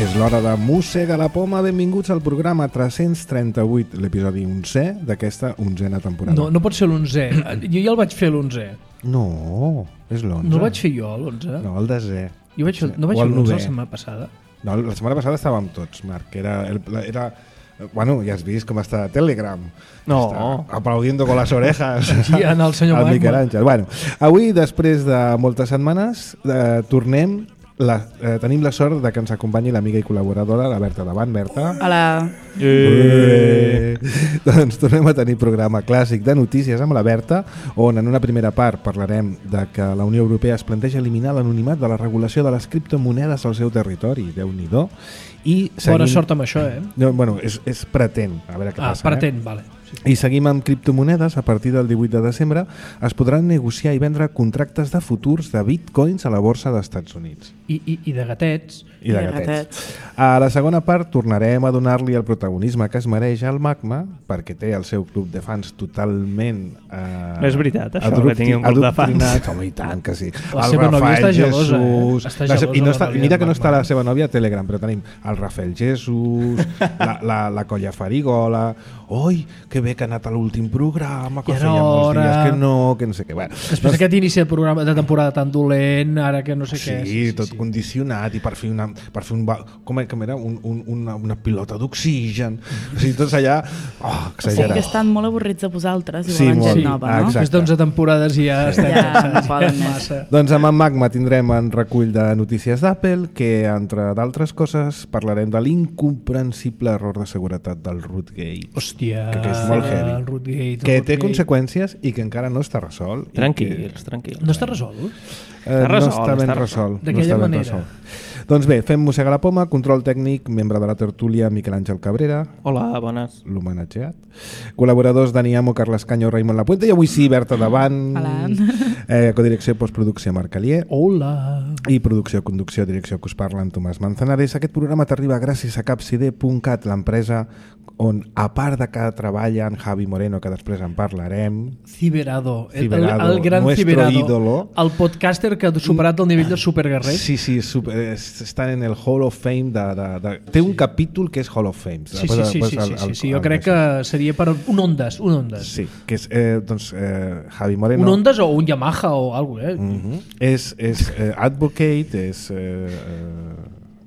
És l'hora de Mossega la Poma. Benvinguts al programa 338, l'episodi 11è d'aquesta 11a temporada. No pot ser l'11è. Jo ja el vaig fer l'11è. No, és l'11. No el vaig fer jo, l'11è? No, el 10è. No vaig fer l'11è la setmana passada? No, la setmana passada estàvem tots, Marc. Era bueno, ja has vist com està Telegram. No. Està aplaudiendo con las orejas. Sí, en el senyor al Miquel Magma. Àngel. Bueno, avui, després de moltes setmanes, tornem. Tenim la sort de que ens acompanyi l'amiga i col·laboradora, la Berta Davant. Berta. Hola. Doncs tornem a tenir programa clàssic de notícies amb la Berta, on en una primera part parlarem de que la Unió Europea es planteja eliminar l'anonimat de la regulació de les criptomonedes al seu territori. Déu-n'hi-do. Bona sort amb això, eh? No, bueno, és pretén. A veure què passa. Pretén, vale. Sí. I seguim amb criptomonedes. A partir del 18 de desembre es podran negociar i vendre contractes de futurs de bitcoins a la borsa d'Estats Units. I de gatets. I de gatets. A la segona part tornarem a donar-li el protagonisme que es mereix al Magma, perquè té el seu club de fans totalment... No és veritat, això, que tingui un club de fans. Home, i tant que sí. La seva nòvia està gelosa, Està gelosa. Mira que no està la seva nòvia a Telegram, però tenim el Rafael Jesús, la Colla Farigola... Oi, que bé que ha anat a l'últim programa, que feia molts dies que no sé què. Bueno, després d'aquest inici de programa de temporada tan dolent, ara que no sé què... Sí, tot condicionat, i per fer una pilota d'oxigen. O sigui, tots allà... exagerat. O sigui que estan molt avorrits de vosaltres i volen gent nova, no? Després d'11 temporades ja estem cansats massa. Doncs amb en Magma tindrem un recull de notícies d'Apple, que, entre d'altres coses, parlarem de l'incomprensible error de seguretat del Rootgate. Hòstia, que és molt heavy, el Rootgate, que té conseqüències i que encara no està resolt. Tranquils. No està resolt? No està ben resolt. D'aquella manera. Doncs bé, fem Mossega la Poma, control tècnic, membre de la tertúlia Miquel Àngel Cabrera. Hola, bones. L'homenatjat. Col·laboradors Dani Amo, Carles Canyo, Raimon Lapuente, i avui sí, Berta Davant. Hola. Codirecció i postproducció Marc Alier. Hola. I producció, conducció, direcció que us parla en Tomàs Manzanares. Aquest programa t'arriba gràcies a capcd.cat, l'empresa on, a part de que treballa en Javi Moreno, que després en parlarem... Ciberado, el gran Ciberado. Ídolo. El podcaster que ha superat el nivell de superguerrer. Sí, està en el Hall of Fame té un capítol que és Hall of Fame. Sí, jo crec que seria per un Ondas. Sí, que és Javi Moreno. Un Ondas o un Yamaha o alguna cosa, És advocate, és...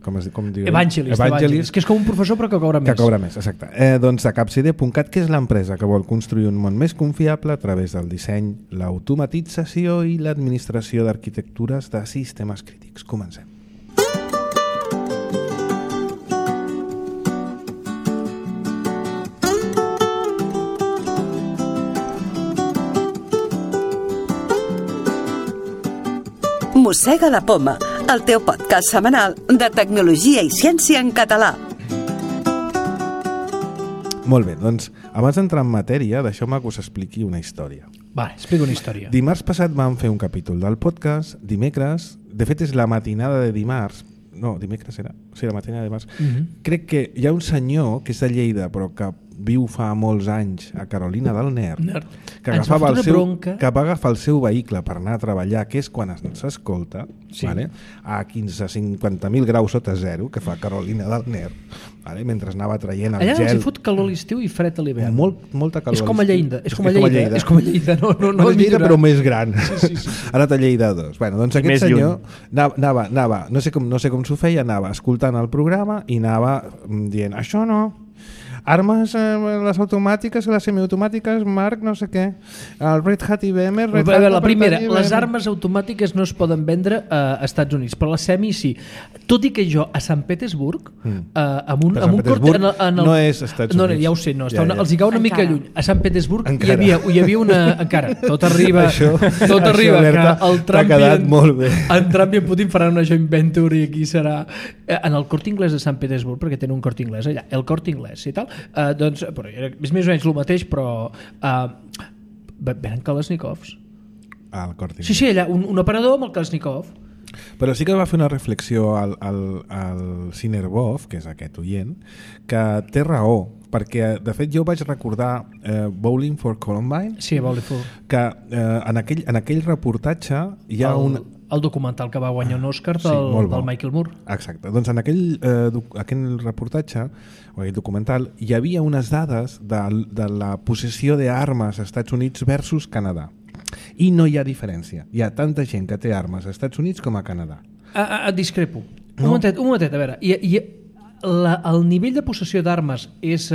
com diu? Evangelist, que és com un professor però que cobra més. Que cobra més, exacte. Doncs a capcd.cat, que és l'empresa que vol construir un món més confiable a través del disseny, l'automatització i l'administració d'arquitectures de sistemes crítics. Comencem. Mossega la Poma, el teu podcast setmanal de tecnologia i ciència en català. Molt bé, doncs abans d'entrar en matèria, deixeu-me que us expliqui una història. Va, explica una història. Dimarts passat vam fer un capítol del podcast, dimecres, de fet és la matinada de dimarts, no, dimecres era, sí, la matinada de dimarts. Crec que hi ha un senyor que és de Lleida, però que viu fa molts anys a Carolina del Nord, que va agafar el seu vehicle per anar a treballar, que és quan s'escolta, vale? A 50.000 graus sota zero, que fa Carolina del Nord, vale? Mentre anava traient el gel. Allà els hi fot calor a l'estiu i fred a l'hivern. Molta calor. És com a Lleida. És com a Lleida, no és Lleida, però més gran. Sí. Ha anat a Lleida 2. Bueno, doncs aquest senyor anava, no sé com s'ho feia, anava escoltant el programa i anava dient, això no, armes, les automàtiques, les semiautomàtiques, Marc, no sé què. El Red Hat IBM... La primera, les armes automàtiques no es poden vendre a Estats Units, però les semi sí. Tot i que jo a Sant Petersburg, amb un cort... No és Estats Units. No, ja ho sé, no. Els hi cau una mica lluny. A Sant Petersburg hi havia una... Encara, tot arriba que el Trump i en Putin faran una joint venture i aquí serà... En el Corte Inglés de Sant Petersburg, perquè tenen un Corte Inglés allà, el Corte Inglés i tal, doncs, però és més o menys el mateix, però venen Kalashnikovs. Sí, allà, un operador amb el Kalashnikov. Però sí que va fer una reflexió al Sinerbov, que és aquest oient, que té raó, perquè de fet jo vaig recordar Bowling for Columbine, sí, Bowling for... que en aquell reportatge hi ha El documental que va guanyar un Òscar del Michael Moore. Exacte. Doncs en aquell reportatge, o aquell documental, hi havia unes dades de la possessió d'armes als Estats Units versus Canadà. I no hi ha diferència. Hi ha tanta gent que té armes als Estats Units com a Canadà. Et discrepo. Un momentet, a veure. El nivell de possessió d'armes és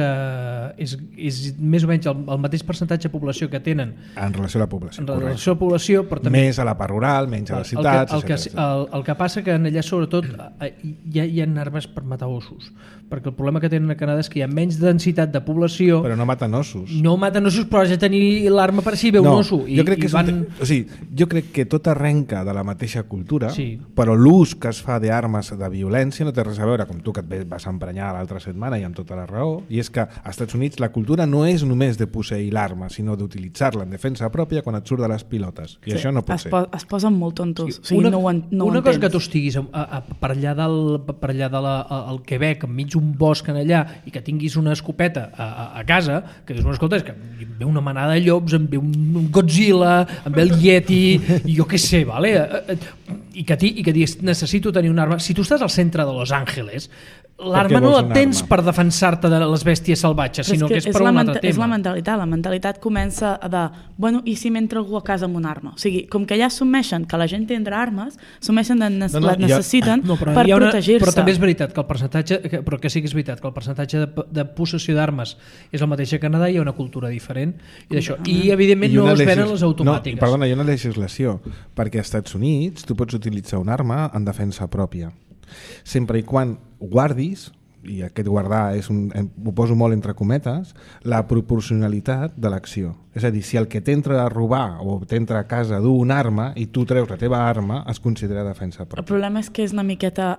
més o menys el mateix percentatge de població que tenen en relació a la població. En relació a la població, però també... Més a la part rural, menys a les ciutats... El que passa que allà, sobretot, hi ha armes per matar ossos, perquè el problema que tenen a Canadà és que hi ha menys densitat de població... Però no maten ossos. No maten ossos, però has de tenir l'arma per si ve un osso. Jo crec que tot arrenca de la mateixa cultura, però l'ús que es fa d'armes de violència no té res a veure, com tu que et vas emprenyar l'altra setmana i amb tota la raó, i és que als Estats Units la cultura no és només de posseir l'arma, sinó d'utilitzar-la en defensa pròpia quan et surt de les pilotes, i això no pot ser. Es posen molt tontos. Una cosa que tu estiguis per allà del Quebec, enmig d'un bosc en allà, i que tinguis una escopeta a casa, que dius, escolta, és que em ve una manada de llops, em ve un Godzilla, em ve el Yeti, i jo què sé, vale? I que diguis, necessito tenir una arma. Si tu estàs al centre de Los Angeles, l'arma no la tens per defensar-te de les bèsties salvatges, sinó que és per un altre tema. És la mentalitat comença de, bueno, i si m'entra algú a casa amb una arma? O sigui, com que ja assumeixen que la gent tindrà armes, assumeixen que les necessiten per protegir-se. Però també és veritat que el percentatge, però que sí que és veritat que el percentatge de possessió d'armes és el mateix a Canadà, hi ha una cultura diferent i d'això. I evidentment no es venen les automàtiques. Perdona, hi ha una legislació, perquè als Estats Units tu pots utilitzar una arma en defensa pròpia, sempre i quan guardis, i aquest guardar ho poso molt entre cometes, la proporcionalitat de l'acció. És a dir, si el que t'entra a robar o t'entra a casa du una arma i tu treus la teva arma, es considera defensa pròpia. El problema és que és una miqueta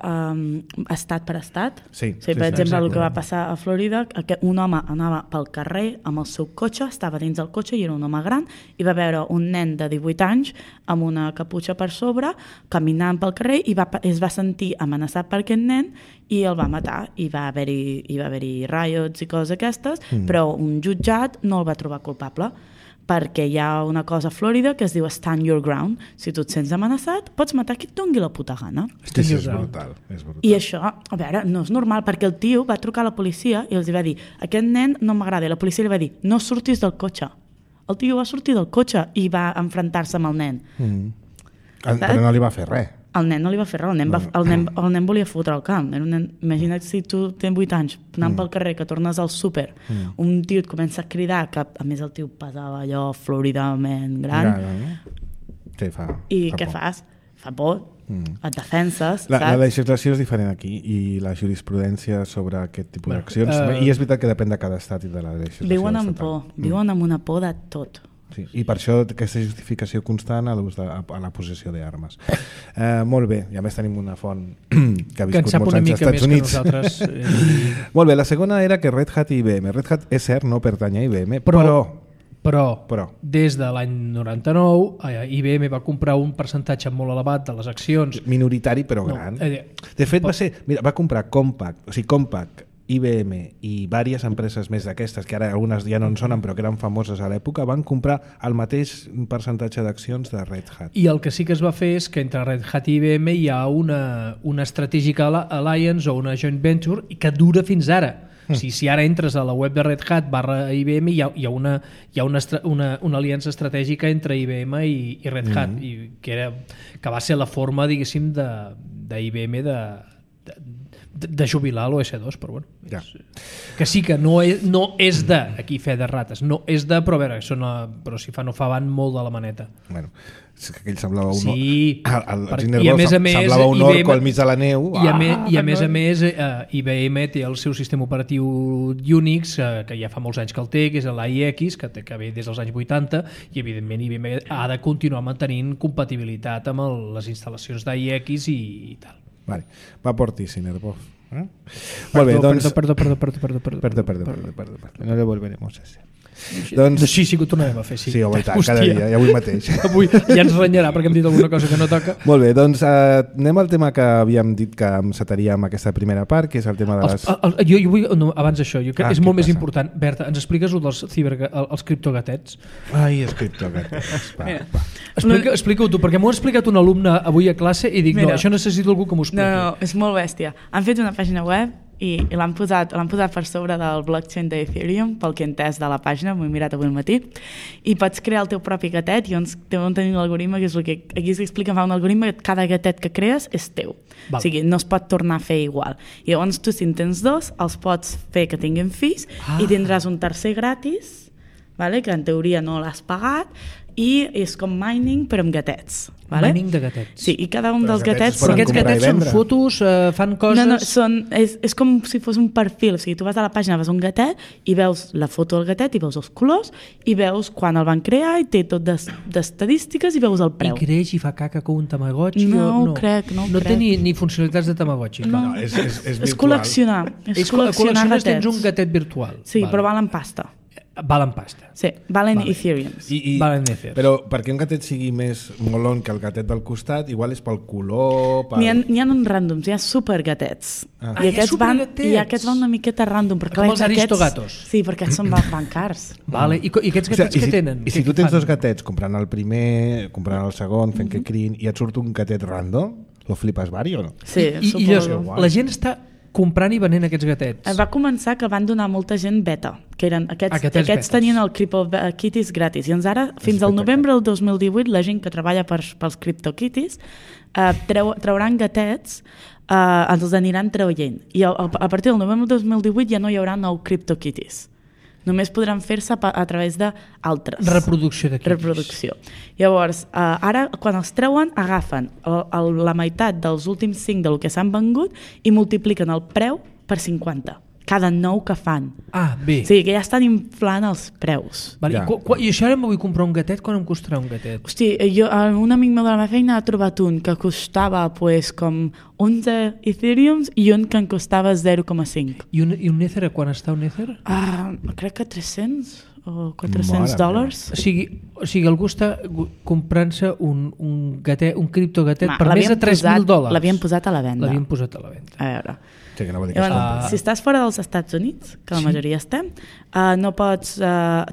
estat per estat. Sí, per exemple, el que va passar a Florida, un home anava pel carrer amb el seu cotxe, estava dins del cotxe i era un home gran, i va veure un nen de 18 anys amb una caputxa per sobre, caminant pel carrer, i es va sentir amenaçat per aquest nen i el va matar, i va haver-hi riots i coses aquestes, però un jutjat no el va trobar culpable, perquè hi ha una cosa a Florida que es diu stand your ground. Si tu et sents amenaçat, pots matar qui et doni la puta gana. És brutal. I això, a veure, no és normal, perquè el tio va trucar a la policia i els va dir, aquest nen no m'agrada, i la policia li va dir, no surtis del cotxe. El tio va sortir del cotxe i va enfrontar-se amb el nen. Però no li va fer res. El nen no li va fer res, el nen volia fotre el camp. Imagina't si tu tens 8 anys anant pel carrer, que tornes al súper, un tio et comença a cridar, que a més el tio pesava allò floridament gran, i què fas? Fa por, et defenses, saps? La legislació és diferent aquí i la jurisprudència sobre aquest tipus d'accions, i és veritat que depèn de cada estat i de la legislació. Viuen amb por, viuen amb una por de tot. Sí, i per això aquesta justificació constant a la possessió d'armes. Molt bé, i a més tenim una font que ha viscut molts anys als Estats Units. Molt bé, la segona era que Red Hat i IBM. Red Hat, és cert, no pertany a IBM, però des de l'any 99 IBM va comprar un percentatge molt elevat de les accions. Minoritari però gran. De fet va comprar Compaq, IBM i diverses empreses més d'aquestes, que ara algunes ja no en sonen però que eren famoses a l'època, van comprar el mateix percentatge d'accions de Red Hat. I el que sí que es va fer és que entre Red Hat i IBM hi ha una Strategic Alliance o una joint venture que dura fins ara. Si ara entres a la web de Red Hat /IBM hi ha una aliança estratègica entre IBM i Red Hat, que va ser la forma, diguéssim, d'IBM de jubilar l'OS2, però bueno, que sí que no és de, aquí fe de rates, no és de, però a veure, però si no fa van molt de la maneta. Bueno, és que aquell semblava un semblava un orco al mig de la neu. I a més IBM té el seu sistema operatiu Unix, que ja fa molts anys que el té, que és l'AIX, que ve des dels anys 80, i evidentment IBM ha de continuar mantenint compatibilitat amb les instal·lacions d'AIX i tal. Vale. Va por ti, Sinerbov. Molt bé, doncs... Perdó. No le volveremos a hacer. Doncs... Sí, que ho tornarem a fer, sí. Sí, home, cada dia, i avui mateix. Avui ja ens renyarà perquè hem dit alguna cosa que no toca. Molt bé, doncs anem al tema que havíem dit que encetaria amb aquesta primera part, que és el tema de les... Jo vull, no, abans d'això, és molt més important. Berta, ens expliques dels els criptogatets? Ai, els criptogatets. Explica-ho tu, perquè m'ho ha explicat un alumne avui a classe i dic, no, això necessito algú que m'ho expliqui. No, és molt bèstia. Han fet una pàgina web i l'han posat per sobre del blockchain d'Ethereum, pel que he entès de la pàgina, m'ho he mirat avui al matí, i pots crear el teu propi gatet, i llavors tenim l'algoritme, que és el que aquí s'explica, fa un algoritme que cada gatet que crees és teu. Val. O sigui, no es pot tornar a fer igual. I llavors tu, si en tens dos, els pots fer que tinguin fills i tindràs un tercer gratis, vale? Que en teoria no l'has pagat, i és com mining però amb gatets. Vale? Mining de gatets. Sí, i cada un dels gatets... Però aquests gatets són fotos, fan coses... No, és com si fos un perfil. O sigui, tu vas a la pàgina, vas a un gatet i veus la foto del gatet i veus els colors i veus quan el van crear i té tot d'estadístiques i veus el preu. I creix i fa caca com un Tamagotchi? No crec. No té ni funcionalitats de Tamagotchi. No, és col·leccionar. És col·leccionar gatets. Tens un gatet virtual. Sí, però valen pasta. Valen pasta. Sí, valen Ethereum. Valen Ethereum. Però perquè un gatet sigui més molon que el gatet del costat, igual és pel color... N'hi ha uns ràndoms, hi ha supergatets. I aquests van una miqueta ràndom. Com els aristogatos. Sí, perquè aquests són van cars. Vale. I aquests gatets què tenen? I si tu tens dos gatets, comprant el primer, comprant el segon, fent que crin, i et surt un gatet ràndom, lo flipes vari o no? Sí, suposo. La gent està comprant i venent aquests gatets. Va començar que van donar molta gent beta, que eren aquests tenien el CryptoKitties gratis, i ara, fins al novembre del 2018, la gent que treballa pels CryptoKitties trauran gatets, els aniran traient, i a partir del novembre del 2018 ja no hi haurà nou CryptoKitties. Només podran fer-se a través d'altres. Reproducció de quitis. Reproducció. Llavors, ara, quan els treuen, agafen la meitat dels últims 5 del que s'han vengut i multipliquen el preu per 50. Cada nou que fan. Bé. O sigui, que ja estan inflant els preus. Vale. I això ara em vull comprar un gatet, quan em costarà un gatet? Hosti, un amic meu de la meva feina ha trobat un que costava com 11 Ethereums i un que en costava 0,5. I un Ether, a quan està un Ether? Crec que 300 o $400. O sigui, algú està comprant-se un criptogatet per més de $3.000. L'havien posat a la venda. A veure... Sí, que no si estàs fora dels Estats Units, que la majoria estem, no pots,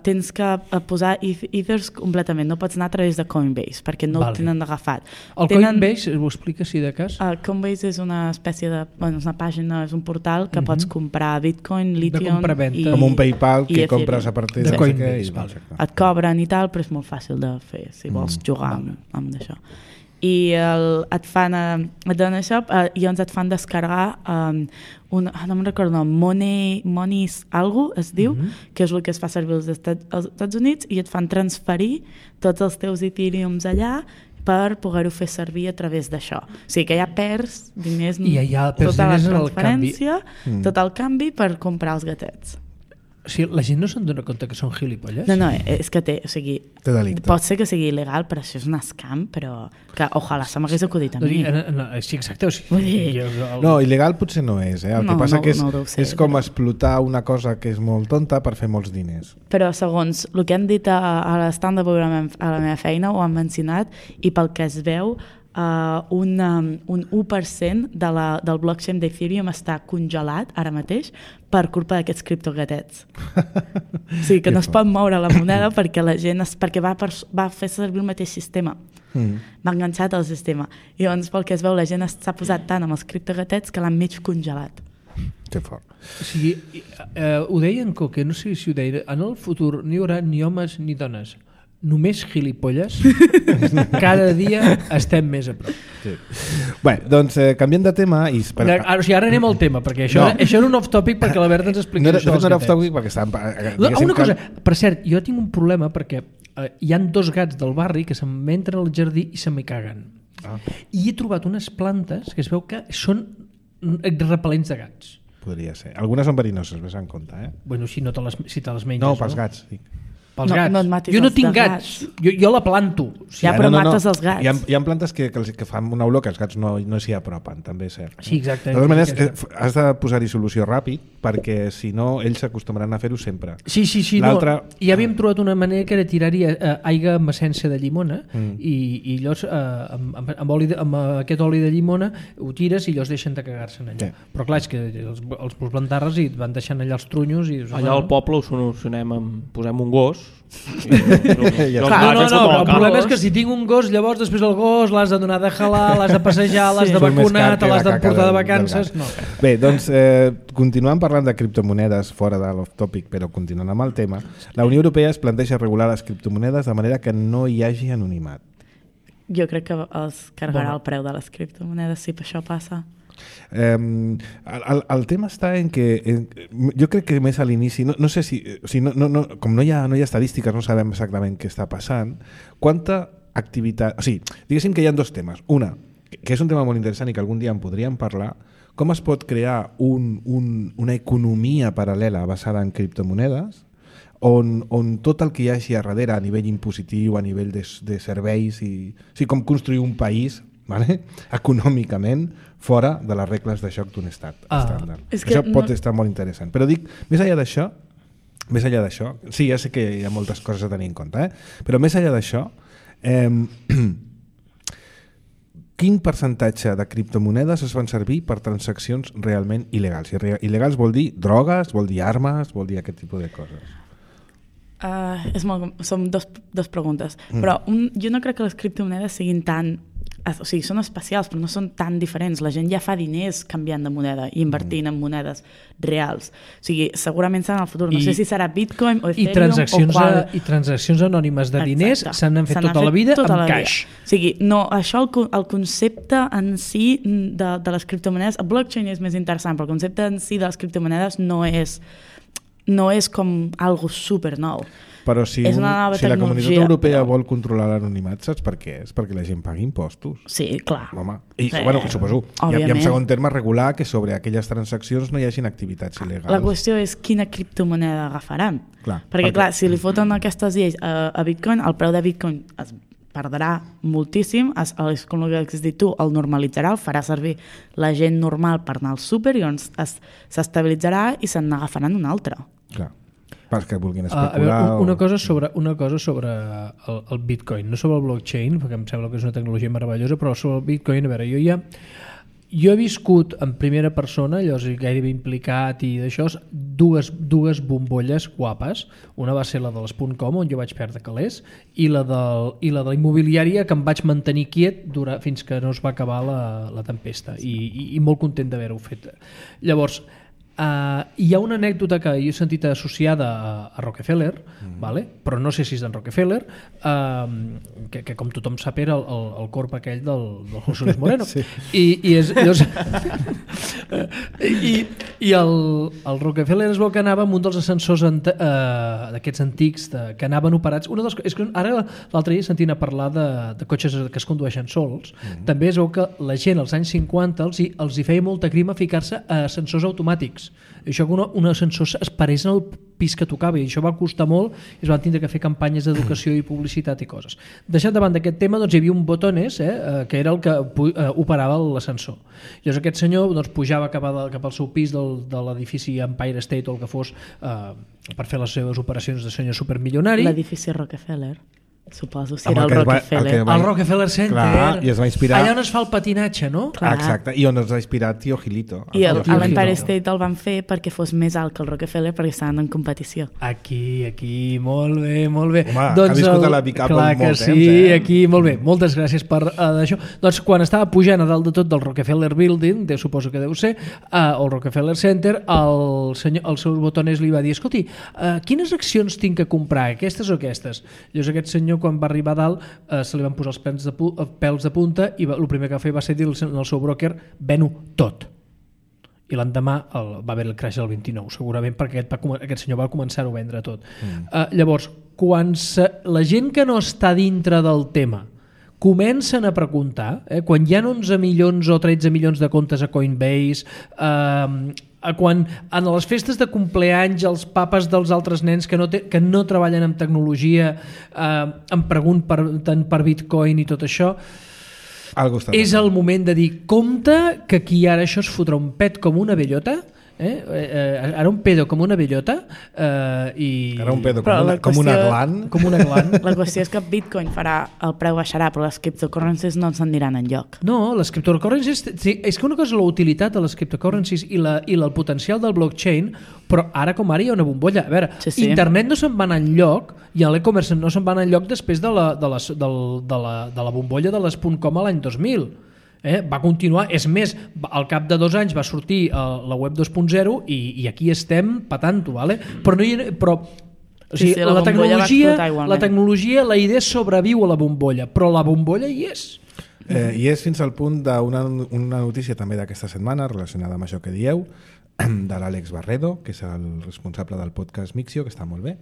tens que posar Ethers completament, no pots anar a través de Coinbase, perquè no ho tenen agafat. Coinbase, ho explica si de cas? Coinbase és una espècie de... és una pàgina, és un portal que pots comprar Bitcoin, Lithium... Com un PayPal que compres a partir de Coinbase. Et cobren i tal, però és molt fàcil de fer, si vols jugar amb això. I et donen això i llavors et fan descarregar no me'n recordo, Money algo es diu, que és el que es fa servir als Estats Units, i et fan transferir tots els teus Ethereums allà per poder-ho fer servir a través d'això. O sigui que ja perds diners, tota la transferència, tot el canvi per comprar els gatets. O sigui, la gent no se'n dona compte que són gilipolles? No, és que té delicte. Pot ser que sigui il·legal, però això és un scam, però que ojalà se m'hagués acudit a mi. Sí, exacte. No, il·legal potser no és. El que passa que és com explotar una cosa que és molt tonta per fer molts diners. Però segons el que han dit a l'estand de veure a la meva feina, ho han mencionat, i pel que es veu, un 1% del blockchain d'Ethereum està congelat ara mateix per culpa d'aquests criptogatets. O sigui que no es pot moure la moneda perquè la gent perquè va fer servir el mateix sistema. Va enganxat al sistema. I llavors, pel que es veu, la gent s'ha posat tant amb els criptogatets que l'han mig congelat. Que fort. O sigui, ho deien que no sé si ho deien, en el futur no hi haurà ni homes ni dones, només gilipolles. Cada dia estem més a prop. Sí. Bé, doncs canviem de tema i... Ara anem al tema, perquè això era un off-topic perquè la Berta ens explica això. No era off-topic perquè estàvem... Una cosa, per cert, jo tinc un problema perquè hi han 2 gats del barri que se'm entren al jardí i se m'hi caguen. I he trobat unes plantes que es veu que són repel·lents de gats. Podria ser. Algunes són verinoses, ves en compte, Bueno, si te les menges, no? Pels gats, dic. Pels gats. Jo no tinc gats. Jo la planto. Ja, però mates els gats. Hi ha plantes que fan una olor que els gats no s'hi apropen, també és cert. Sí, exacte. De totes maneres, has de posar-hi solució ràpid, perquè si no, ells s'acostumaran a fer-ho sempre. Sí. No. Ja havíem trobat una manera que era tirar-hi aigua amb essència de llimona i llavors amb aquest oli de llimona ho tires i llavors deixen de cagar-se'n allà. Però clar, és que els plantarres i et van deixant allà els trunyos. Allà al poble ho solucionem posem un gos. No, el problema és que si tinc un gos, llavors després el gos l'has de donar de jalar, l'has de passejar, l'has de vacunar, te l'has de portar de vacances. Bé, doncs continuant parlant de criptomonedes fora de l'off-topic, però continuant amb el tema, la Unió Europea es planteja regular les criptomonedes de manera que no hi hagi anonimat. Jo crec que es carregarà el preu de les criptomonedes si per això passa. El tema està en que jo crec que més a l'inici no sé si com no hi ha estadístiques, no sabem exactament què està passant, quanta activitat, o sigui, diguéssim que hi ha dos temes. Una, que és un tema molt interessant i que algun dia en podríem parlar, com es pot crear una economia paral·lela basada en criptomonedes on tot el que hi hagi a darrere a nivell impositiu, a nivell de serveis com construir un país, vale? Econòmicament fora de les regles de joc d'un estat estàndard. Això pot estar molt interessant. Però dic, més enllà d'això, sí, ja sé que hi ha moltes coses a tenir en compte, però més enllà d'això, quin percentatge de criptomonedes es fan servir per transaccions realment il·legals? I il·legals vol dir drogues, vol dir armes, vol dir aquest tipus de coses. Són dos preguntes. Però jo no crec que les criptomonedes siguin tan... O sigui, són especials, però no són tan diferents. La gent ja fa diners canviant de moneda i invertint en monedes reals. O sigui, segurament serà en el futur. No sé si serà Bitcoin o Ethereum I transaccions anònimes de diners s'han fet tota la vida amb cash. O sigui, no, això, el concepte en si de les criptomonedes, el blockchain és més interessant, però el concepte en si de les criptomonedes no és com algo super nou. Però si la Comunitat Europea vol controlar l'anonimat, saps per què? És perquè la gent pagui impostos. Sí, clar. Home. I suposo, i en segon terme regular que sobre aquelles transaccions no hi hagin activitats il·legals. La qüestió és quina criptomoneda agafaran. Perquè si li foten aquestes lleis a Bitcoin, el preu de Bitcoin es perdrà moltíssim, és com el que has dit tu, el normalitzarà, el farà servir la gent normal per anar al súper i llavors s'estabilitzarà i se n'agafaran un altre. Clar. Que vulguin especular. Una cosa sobre el Bitcoin, no sobre el blockchain, perquè em sembla que és una tecnologia meravellosa, però sobre el Bitcoin, a veure, jo he viscut en primera persona, llavors gairebé implicat i d'això, dues bombolles guapes. Una va ser la de les .com, on jo vaig perdre calés, i la de la immobiliària, que em vaig mantenir quiet fins que no es va acabar la tempesta, i molt content d'haver-ho fet. Llavors, hi ha una anècdota que jo he sentit associada a Rockefeller, vale? Però no sé si és d'en Rockefeller, que com tothom sap era el corp aquell del José Luis Moreno. Sí. I el Rockefeller es veu que anava amb un dels ascensors d'aquests antics que anaven operats. És que ara l'altre dia sentint a parlar de cotxes que es condueixen sols. També es veu que la gent als anys 50 els hi feia molta crima ficar-se a ascensors automàtics. Això que un ascensor es parés en el pis que tocava, i això va costar molt i es van tindre que fer campanyes d'educació i publicitat i coses. Deixant davant d'aquest tema, hi havia un botones que era el que operava l'ascensor. Llavors aquest senyor pujava cap al seu pis de l'edifici Empire State o el que fos per fer les seves operacions de senyor supermilionari. L'edifici Rockefeller. Suposo, si era el Rockefeller. El Rockefeller Center. Clar, i es va inspirar... Allà on es fa el patinatge, no? Clar. Exacte, i on es va inspirar Tío Gilito. I l'Empire State el van fer perquè fos més alt que el Rockefeller, perquè estaven en competició. Aquí, molt bé, molt bé. Home, ha viscut a la Big Apple molt temps. Sí, aquí, molt bé. Moltes gràcies per això. Doncs quan estava pujant a dalt de tot del Rockefeller Building, suposo que deu ser, o el Rockefeller Center, el seu botones li va dir: escolti, quines accions tinc que comprar, aquestes o aquestes? Llavors aquest senyor, quan va arribar a dalt, se li van posar els pèls de punta i el primer que va fer va ser dir al seu broker: ven-ho tot. I l'endemà va haver el crash del 29, segurament perquè aquest senyor va començar a vendre tot. Llavors, quan la gent que no està dintre del tema comencen a preguntar, quan hi ha 11 milions o 13 milions de comptes a Coinbase, quan en les festes de compleanys els papes dels altres nens que no treballen amb tecnologia em pregunten per Bitcoin i tot això, és el moment de dir compte que aquí ara això es fotrà un pet com una bellota, ara un pedo com una bellota i... Ara un pedo com una glan. La qüestió és que Bitcoin el preu baixarà, però les cryptocurrencies no se'n aniran enlloc. No, les cryptocurrencies, és que una cosa és la utilitat de les cryptocurrencies i el potencial del blockchain, però ara com ara hi ha una bombolla. A veure, sí. Internet no se'n va anar enlloc i l'e-commerce no se'n va anar enlloc després de la bombolla de les .com a l'any 2000. Va continuar, és més, al cap de 2 anys va sortir la web 2.0 i aquí estem patant-ho, vale? Però la tecnologia, la idea sobreviu a la bombolla, però la bombolla hi és. I és fins al punt d'una notícia també d'aquesta setmana relacionada amb això que dieu, de l'Àlex Barredo, que és el responsable del podcast Mixio, que està molt bé.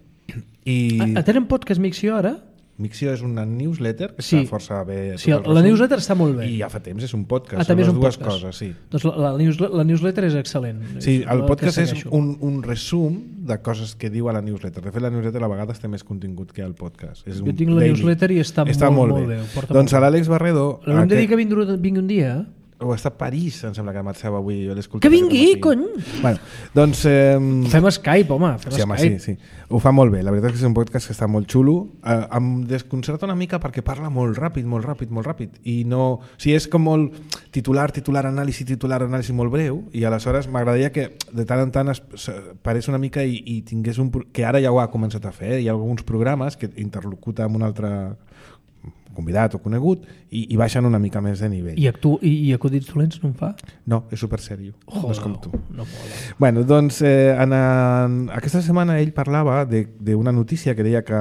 Tenen podcast Mixio ara? Mixio és una newsletter que està força bé. Sí, la newsletter està molt bé. I ja fa temps, és un podcast. També és un dues podcast. Coses, sí. Doncs la newsletter és excel·lent. Sí, el podcast és un resum de coses que diu a la newsletter. De fet, la newsletter a vegades té més contingut que el podcast. Jo tinc la newsletter i està molt bé. Doncs a l'Àlex Barredo... Hem de dir que vingui un dia, o està a París, em sembla que Marxeu avui. Que vingui, cony! Bueno, doncs... Fem Skype, home. Sí. Ho fa molt bé. La veritat és que és un podcast que està molt xulo. Em desconcerta una mica perquè parla molt ràpid. I no... O sigui, és com molt titular, anàlisi molt breu, i aleshores m'agradaria que de tant en tant parés una mica i tingués que ara ja ho ha començat a fer. Hi ha alguns programes que interlocuta amb un altre convidat o conegut i baixen una mica més de nivell. I acudits dolents no en fa? No, és super sèrio. No és com tu. No mola. Bueno, doncs aquesta setmana ell parlava d'una notícia que deia que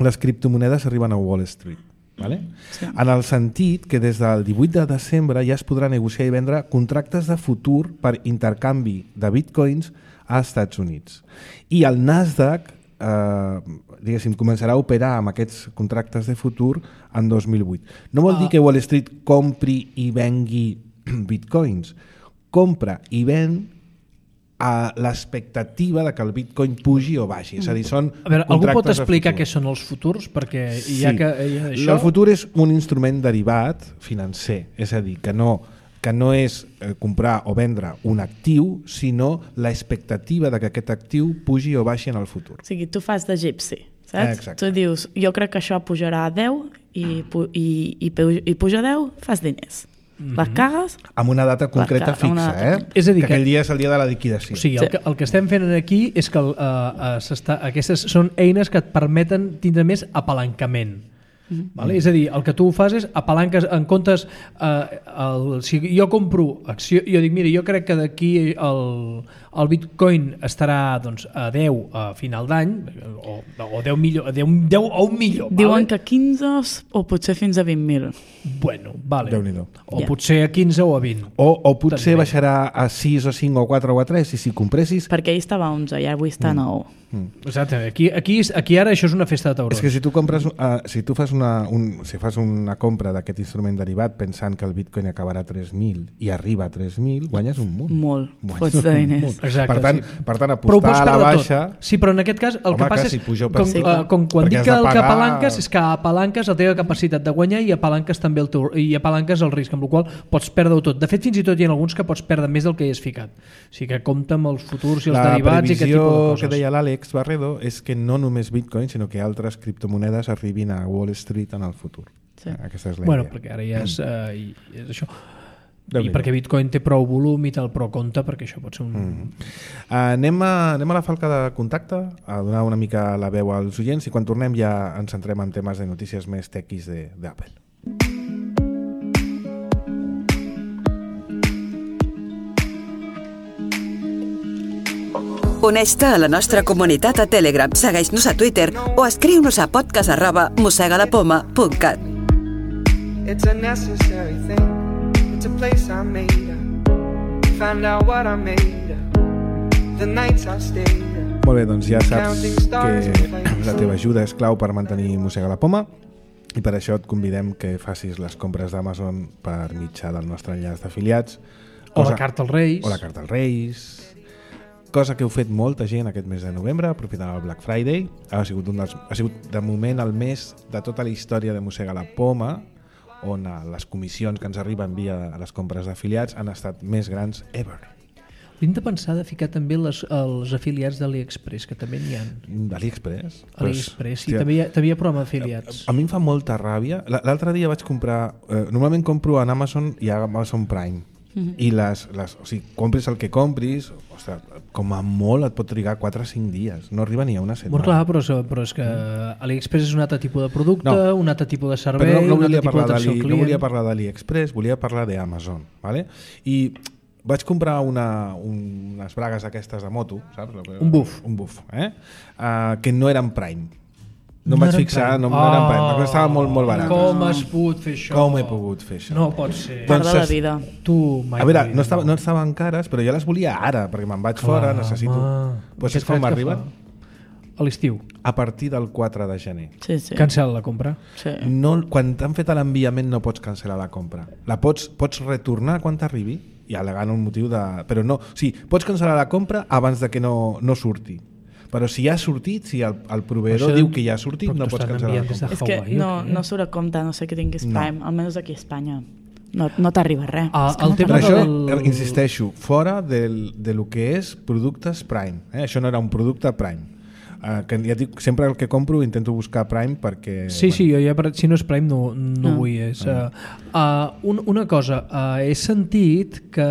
les criptomonedes arriben a Wall Street. Vale? Sí. En el sentit que des del 18 de desembre ja es podrà negociar i vendre contractes de futur per intercanvi de bitcoins als Estats Units. I el Nasdaq diguéssim, començarà a operar amb aquests contractes de futur en 2008. No vol dir que Wall Street compri i vengui bitcoins. Compra i ven a l'expectativa de que el bitcoin pugi o baixi. És a dir, són algú pot explicar què són els futurs? Perquè el futur és un instrument derivat financer. És a dir, que no és comprar o vendre un actiu, sinó l'expectativa de que aquest actiu pugi o baixi en el futur. O sigui, tu fas de gypsy, saps? Exacte. Tu dius, jo crec que això pujarà a 10 i puja a 10, fas diners. Les cagues... Amb una data concreta fixa, És a dir, que aquell dia és el dia de la liquidació. O sigui, el que estem fent aquí és que aquestes són eines que et permeten tindre més apalancament. Vale? És a dir, el que tu fas és apalanques en comptes si jo compro acció, jo dic, mira, jo crec que d'aquí el bitcoin estarà doncs, a 10 a final d'any o 10 millor, 10 o 1 millor. Diuen que 15 o potser fins a 20.000. Bueno, vale. Déu-n'hi-do. O potser a 15 o a 20. O potser baixarà a 6 o 5 o 4 o a 3 i si compressis... Perquè ahir estava a 11 i avui està a 9. Exacte. Aquí ara això és una festa de taurons. És que si tu compres, si fas una compra d'aquest instrument derivat pensant que el bitcoin acabarà a 3.000 i arriba a 3.000, guanyes un munt. Molt. Fots de diners. Exacte, per tant, apostar a la baixa... Sí, però en aquest cas el que passa és com quan dic que el que apalanques és que apalanques la teva capacitat de guanyar i apalanques també el risc, amb el qual pots perdre-ho tot. De fet, fins i tot hi ha alguns que pots perdre més del que hi has ficat. O sigui que compta amb els futurs i els derivats i aquest tipus de coses. La previsió que deia l'Àlex Barredo és que no només bitcoin, sinó que altres criptomonedes arribin a Wall Street en el futur. Sí. Aquesta és la idea. Perquè ara ja és això. I perquè bitcoin té prou volum i tal, però compte perquè això pot ser un... Anem a la falca de contacte, a donar una mica la veu als oients, i quan tornem ja ens centrem en temes de notícies més tequis d'Apple. Uneix-te a la nostra comunitat a Telegram, segueix-nos a Twitter o escriu-nos a podcast@mosegadapoma.cat. It's a necessary thing. It's a place I made up. Found out what I made up. The nights I stayed up. Molt bé, doncs ja saps que la teva ajuda és clau per mantenir Mossega la Poma i per això et convidem que facis les compres d'Amazon per mitjà del nostre enllaç d'afiliats O la carta als Reis. O la carta als Reis. Cosa que heu fet molta gent aquest mes de novembre, aprofitant el Black Friday. Ha sigut de moment el mes de tota la història de Mossega la Poma, on les comissions que ens arriben via les compres d'afiliats han estat més grans ever. Hem de pensar de ficar també els afiliats d'AliExpress, que també n'hi ha. D'AliExpress? AliExpress, sí, també hi ha programa d'afiliats. A mi em fa molta ràbia. L'altre dia vaig comprar... normalment compro en Amazon i a Amazon Prime. I o sigui, compris el que compris, ostres, com a molt et pot trigar 4 o 5 dies, no arriba ni a una setmana. Molt clar, però és que AliExpress és un altre tipus de producte, un altre tipus de servei, no un altre tipus d'atenció al client. No volia parlar d'AliExpress, volia parlar d'Amazon, ¿vale? I vaig comprar unes bragues aquestes de moto, saps? Un buff. Un buff, que no eren Prime. No em vaig fixar, no eren Prime, perquè estava molt barat. Com has pogut fer això? Com he pogut fer això? No pot ser. Part de la vida. Tu mai. A veure, no estaven cares, però jo les volia ara, perquè me'n vaig fora, necessito... Pues saps com arriben? A l'estiu. A partir del 4 de gener. Sí. Cancel la compra. Sí. Quan t'han fet l'enviament no pots cancel·lar la compra. La pots retornar quan t'arribi i al·legant un motiu de... Però no, sí, pots cancel·lar la compra abans de que no surti. Però si ja ha sortit, si el proveïdor diu que ja ha sortit, no pots cancel·lar la compra. És que no surt a compte, no sé que tinguis Prime, almenys aquí a Espanya. No t'arriba res. Per això, insisteixo, fora de lo que és productes Prime. Això no era un producte Prime. Que ja dic, sempre el que compro intento buscar Prime perquè... Sí, jo ja, si no és Prime no vull. Una cosa, he sentit que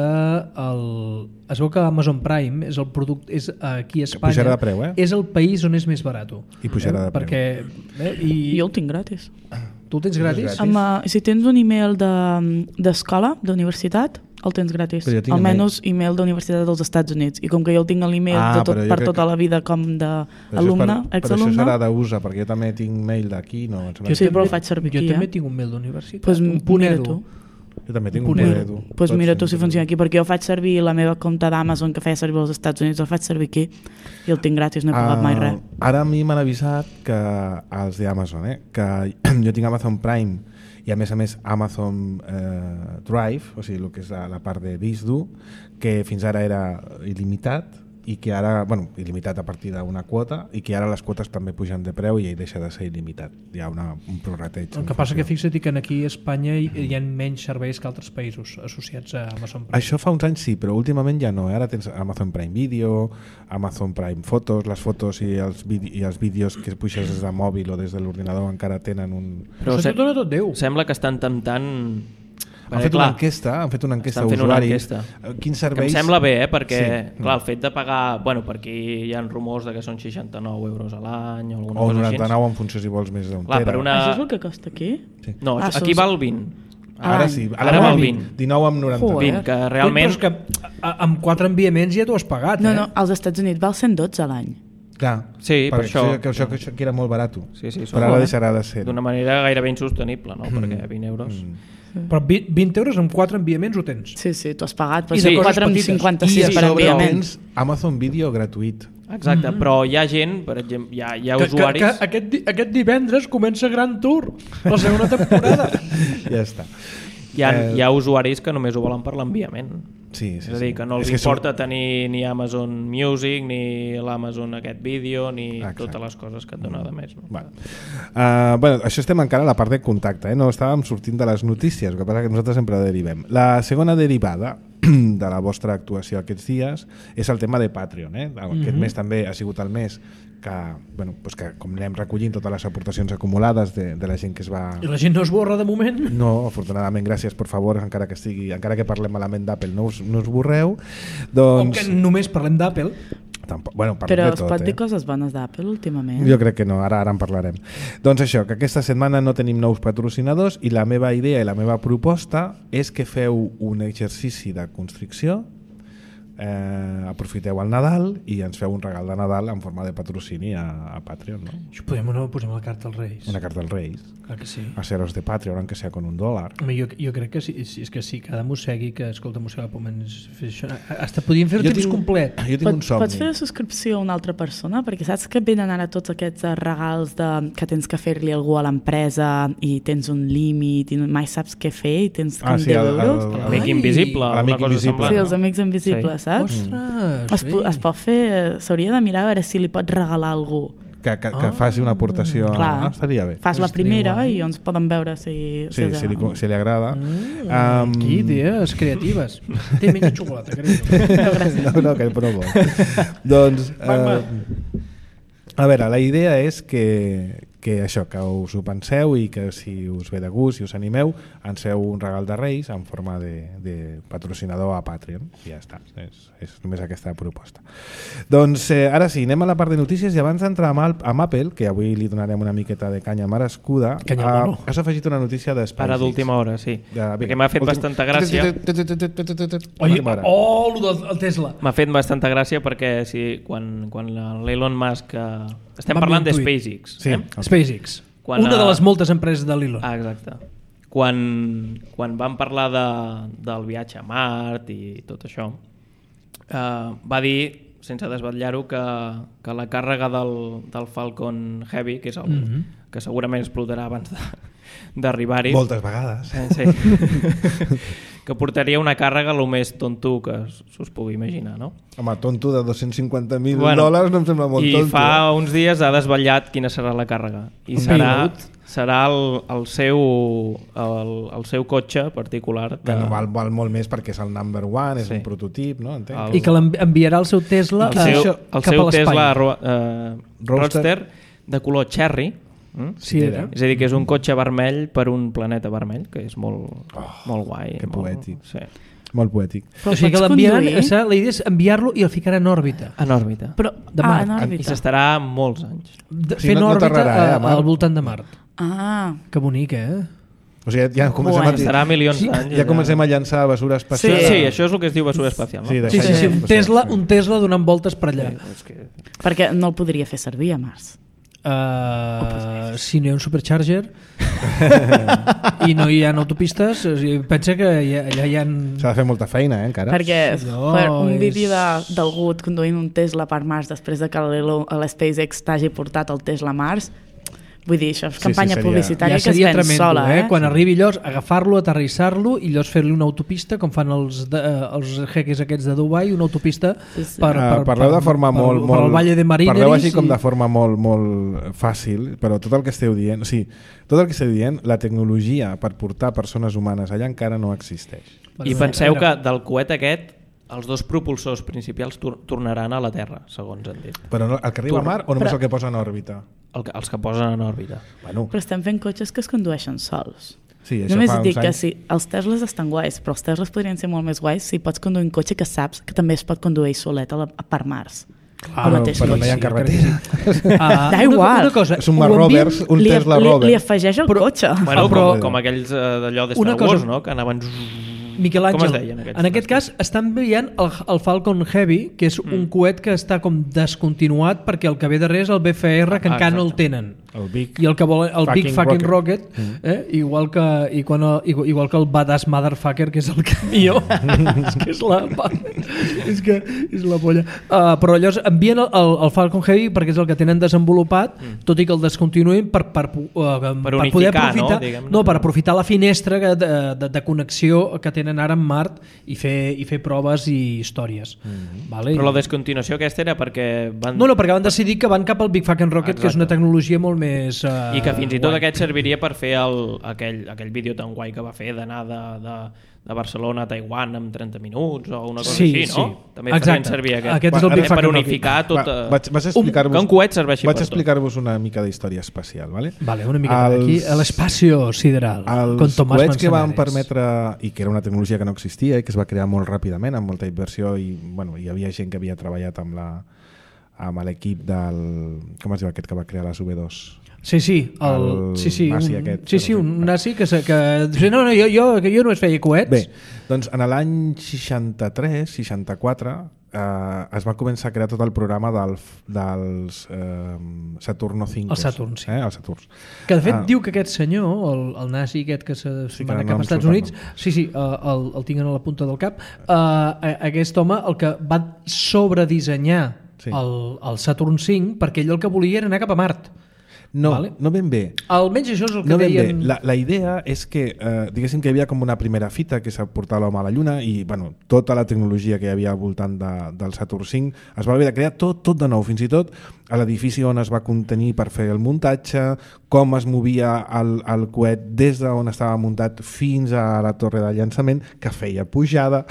es veu que Amazon Prime és el producte, és aquí a Espanya, pujarà de preu, és el país on és més barat. I pujarà de preu. I jo el tinc gratis. Tu el tens gratis? Si tens un email d'escola, d'universitat, el tens gratis. Almenys email d'universitat dels Estats Units. I com que jo el tinc l'email per tota la vida com d'alumne, exalumne... Però això serà d'USA, perquè jo també tinc mail d'aquí. Sí, però el faig servir aquí. Jo també tinc un mail d'universitat. Pues un punt edu. Jo també tinc un punt edu. Doncs mira tu si funciona aquí, perquè jo faig servir la meva compte d'Amazon que feia servir als Estats Units, el faig servir aquí i el tinc gratis, no he pagat mai res. Ara a mi m'han avisat que els d'Amazon, que jo tinc Amazon Prime i a més Amazon Drive, o sigui, el que és la part de disc dur, que fins ara era il·limitat i que ara, il·limitat a partir d'una quota i que ara les quotes també pugen de preu i deixa de ser il·limitat. Hi ha un prorrateig. El que passa que fixa't que aquí a Espanya hi ha menys serveis que altres països associats a Amazon Prime. Això fa uns anys sí, però últimament ja no. Ara tens Amazon Prime Video, Amazon Prime Fotos, les fotos i els vídeos que puixes des de mòbil o des de l'ordinador encara tenen un... Però tot Déu. Sembla que estan temptant... Han fet una enquesta a usuaris. Quin servei... Em sembla bé, perquè clar, el fet de pagar... per aquí hi ha rumors de que són 69 euros a l'any o alguna cosa així. O 99 en funció si vols més d'un tera. Això és el que costa aquí? Sí. No, aquí val 20. Ara sí, ara val 20. 19 amb 99. 20, que realment... Però és que amb 4 enviaments ja t'ho has pagat. No, als Estats Units val 112 a l'any. Clar, sí, per això que era molt barat. Sí, però ara deixarà de ser. D'una manera gairebé insostenible, no? Perquè 20 euros... Però 20 euros amb 4 enviaments ho tens. Sí, tu has pagat, però 4 amb 56 per enviaments. Amazon Video gratuït. Exacte, però hi ha gent, per exemple, hi ha usuaris... Que aquest divendres comença Grand Tour, la segona temporada. Ja està. Hi ha usuaris que només ho volen per l'enviament. Sí. És a dir, que no els importa tenir ni Amazon Music, ni l'Amazon aquest vídeo, ni totes les coses que et dona de més. No? Això estem encara a la part de contacte, no estàvem sortint de les notícies, el que passa que nosaltres sempre derivem. La segona derivada de la vostra actuació aquests dies és el tema de Patreon. Aquest mes també ha sigut el mes que com anem recollint totes les aportacions acumulades de la gent que es va... I la gent no es borra de moment? No, afortunadament, gràcies, per favor, encara que parlem malament d'Apple, no us borreu. O que només parlem d'Apple. Però es pot dir coses bones d'Apple últimament? Jo crec que no, ara en parlarem. Doncs això, que aquesta setmana no tenim nous patrocinadors i la meva idea i la meva proposta és que feu un exercici de constricció aprofiteu el Nadal i ens feu un regal de Nadal en forma de patrocini a Patreon, no? Posem la carta als Reis. Una carta als Reis. Clar que sí. A seros de Patreon, aunque sea con $1. Home, jo crec que sí, és que sí, cada mossegui que escolta mossegar pomens fer això. Hasta podíem fer temps complet. Jo tinc un somni. Pots fer la subscripció a una altra persona? Perquè saps que venen ara tots aquests regals que tens que fer-li algú a l'empresa i tens un límit i mai saps què fer i tens 10 euros. L'amic invisible. L'amic invisible. Sí, els amics invisibles, saps? Ostres, es pot fer, s'hauria de mirar a veure si li pots regalar a algú. Que faci una aportació. Clar, estaria bé. fas la primera i ens poden veure si li agrada. Aquí, idees creatives. Té menys xocolata, crec. No, que provo. Doncs, a veure, la idea és que això, que us ho penseu i que si us ve de gust, si us animeu, ens feu un regal de Reis en forma de patrocinador a Patreon i ja està, és només aquesta proposta. Doncs ara sí, anem a la part de notícies i abans d'entrar amb Apple, que avui li donarem una miqueta de canya merescuda, has afegit una notícia de SpaceX. Ara d'última hora, sí. Perquè m'ha fet bastanta gràcia. El Tesla. M'ha fet bastanta gràcia perquè quan l'Elon Musk... Estem parlant de SpaceX. Sí, SpaceX. Una de les moltes empreses de l'Elon. Exacte. Quan vam parlar del viatge a Mart i tot això, va dir, sense desvetllar-ho, que la càrrega del Falcon Heavy, que és que segurament explotarà abans d'arribar-hi... Moltes vegades. Sí. Que portaria una càrrega el més tonto que s'us pugui imaginar, no? Home, tonto de $250,000 no em sembla molt tonto. I fa uns dies ha desvetllat quina serà la càrrega. I serà el seu cotxe particular. Que no val molt més perquè és el number one, és un prototip, no? I que l'enviarà el seu Tesla cap a l'espai. Tesla Roadster de color cherry. Sí, és a dir, que és un cotxe vermell per un planeta vermell, que és molt guai. Que poètic. Sí. Molt poètic. O sigui que l'enviaran, la idea és enviar-lo i el ficarà en òrbita. En òrbita. En òrbita. I s'estarà molts anys. Fent òrbita al voltant de Mart. Que bonic, O sigui, ja estarà milions d'anys. Ja comencem a llançar basura espacial. Sí, això és el que es diu basura espacial. Sí, un Tesla donant voltes per allà. Perquè no el podria fer servir a Mars. Si no hi ha un supercharger i no hi ha autopistes, pensa que allà hi ha... S'ha de fer molta feina, encara. Perquè un vídeo d'algú conduint un Tesla per Mars després de que l'SpaceX t'hagi portat el Tesla a Mars, vull dir, això és campanya publicitària que es ven sola. Quan arribi llavors, agafar-lo, aterrissar-lo i llavors fer-li una autopista, com fan els jeques aquests de Dubai, una autopista parleu de forma molt... per al Valle de Marineris. Parleu així com de forma molt fàcil, però tot el que esteu dient... Tot el que esteu dient, la tecnologia per portar persones humanes allà encara no existeix. I penseu que del coet aquest els dos propulsors principals tornaran a la Terra, segons han dit. Però el que arriba a Mart o només el que posa en òrbita? Els que posen en òrbita. Bueno. Però estem fent cotxes que es condueixen sols. Sí, només dic que sí, els Teslas estan guais, però els Teslas podrien ser molt més guais si pots conduir un cotxe que saps que també es pot conduir solet per Mars. Però no hi ha carretera. Da igual. És un Tesla Rover. Li afegeix el cotxe. Com aquells d'allò de Star Wars, no? Que anaven... Miquel Àngel, en aquest cas estan enviant el Falcon Heavy, que és un coet que està com descontinuat perquè el que ve darrere és el BFR, que encara no el tenen. I el que vol el Big Fucking Rocket, igual que el Badass Motherfucker, que és el camió. És que és la polla. Però llavors envien el Falcon Heavy perquè és el que tenen desenvolupat, tot i que el descontinuïn per poder aprofitar, per aprofitar la finestra de connexió que tenen ara en Mart i fer proves i històries. Però la descontinuació aquesta era perquè van... No, perquè van decidir que van cap al Big Fucking Rocket, que és una tecnologia molt més... I que fins i tot aquest serviria per fer aquell vídeo tan guai que va fer d'anar de Barcelona a Taiwan en 30 minuts o una cosa així, no? També farien servir aquest per unificar tot... Que un coet serveixi per tot. Vaig explicar-vos una mica d'història espacial, ¿vale? Vale, una mica aquí, a l'espacio sideral. Els coets que van permetre, i que era una tecnologia que no existia i que es va crear molt ràpidament, amb molta inversió, i hi havia gent que havia treballat amb l'equip del... Com es diu aquest que va crear les V2? Sí, nazi aquest. Un nazi que no, jo només feia coets. Bé, doncs en l'any 63-64 es va començar a crear tot el programa dels Saturno 5. El Saturn, sí. El Saturn. Que de fet diu que aquest senyor, el nazi aquest que se'n va anar cap als Estats Units, el tinc a la punta del cap, aquest home el que va sobredissenyar el Saturn 5 perquè ell el que volia era anar cap a Mart. No, no ben bé. Almenys això és el que deien... La idea és que, diguéssim que hi havia com una primera fita que s'ha portat l'home a la Lluna i tota la tecnologia que hi havia al voltant del Saturn 5 es va haver de crear tot de nou, fins i tot a l'edifici on es va contenir per fer el muntatge, com es movia el coet des d'on estava muntat fins a la torre de llançament, que feia pujada.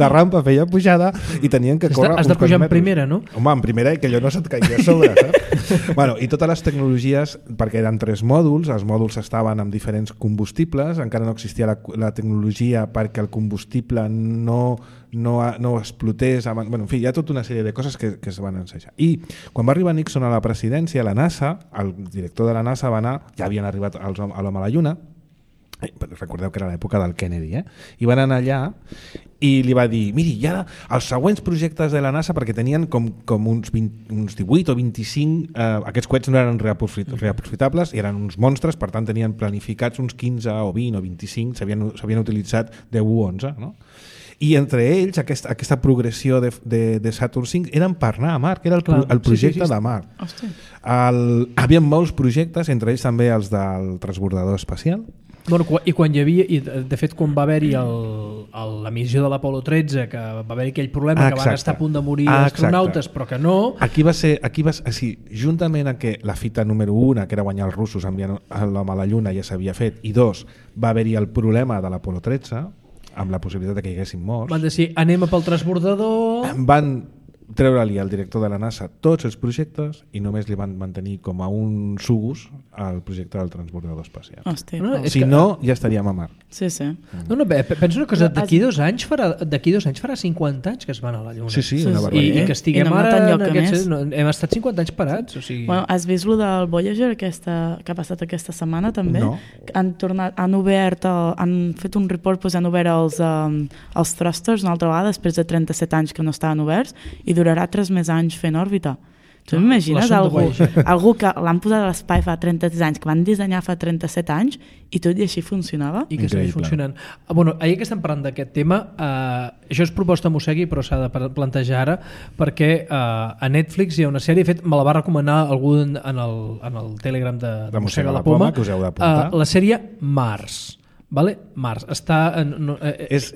La rampa feia pujada i tenien que córrer Has de pujar en primera, no? Home, en primera i que allò no se't caigui a sobre, saps? I totes les tecnologies, perquè eren 3 mòduls, els mòduls estaven amb diferents combustibles, encara no existia la tecnologia perquè el combustible no explotés. En fi, hi ha tota una sèrie de coses que es van ensejar. I quan va arribar Nixon a la presidència, la NASA, el director de la NASA va anar, ja havien arribat a l'home a la Lluna, recordeu que era l'època del Kennedy, i van anar allà i li va dir, miri, ja els següents projectes de la NASA, perquè tenien com uns 18 o 25, aquests coets no eren reaprofitables i eren uns monstres, per tant tenien planificats uns 15 o 20 o 25, s'havien utilitzat 10 o 11, no? I entre ells aquesta progressió de Saturn 5 eren per anar a Mart, que era el projecte de Mart. Hi havia molts projectes, entre ells també els del transbordador espacial. I quan hi havia, i de fet quan va haver-hi la missió de l'Apolo 13, que va haver-hi aquell problema que van estar a punt de morir astronautes, però que no... Aquí va ser, juntament a que la fita número 1, que era guanyar els russos enviant l'home a la Lluna, ja s'havia fet, i 2, va haver-hi el problema de l'Apolo 13, amb la possibilitat de que hi haguessin morts. Van dir, anem pel transbordador... Van treure-li al director de la NASA tots els projectes i només li van mantenir com a un sugus al projecte del transbordador espacial. Si no, ja estaríem a Mart. Sí. Penso una cosa, d'aquí 2 anys farà 50 anys que es van a la Lluna. Sí, una barbaritat. I que estiguem ara... Hem estat 50 anys parats. Has vist lo del Voyager que ha passat aquesta setmana també? No. Han fet un report, han obert els thrusters una altra vegada després de 37 anys que no estaven oberts i durarà 3 més anys fent òrbita. Tu m'imagines algú que l'han posat a l'espai fa 33 anys, que van dissenyar fa 37 anys i tot i així funcionava? I que segueix funcionant. Ahir que estem parlant d'aquest tema, això és proposta Mossegui, però s'ha de plantejar ara, perquè a Netflix hi ha una sèrie, de fet me la va recomanar algú en el Telegram de Mossega la Poma, que us heu d'apuntar. La sèrie Mars. Vale? Mars està és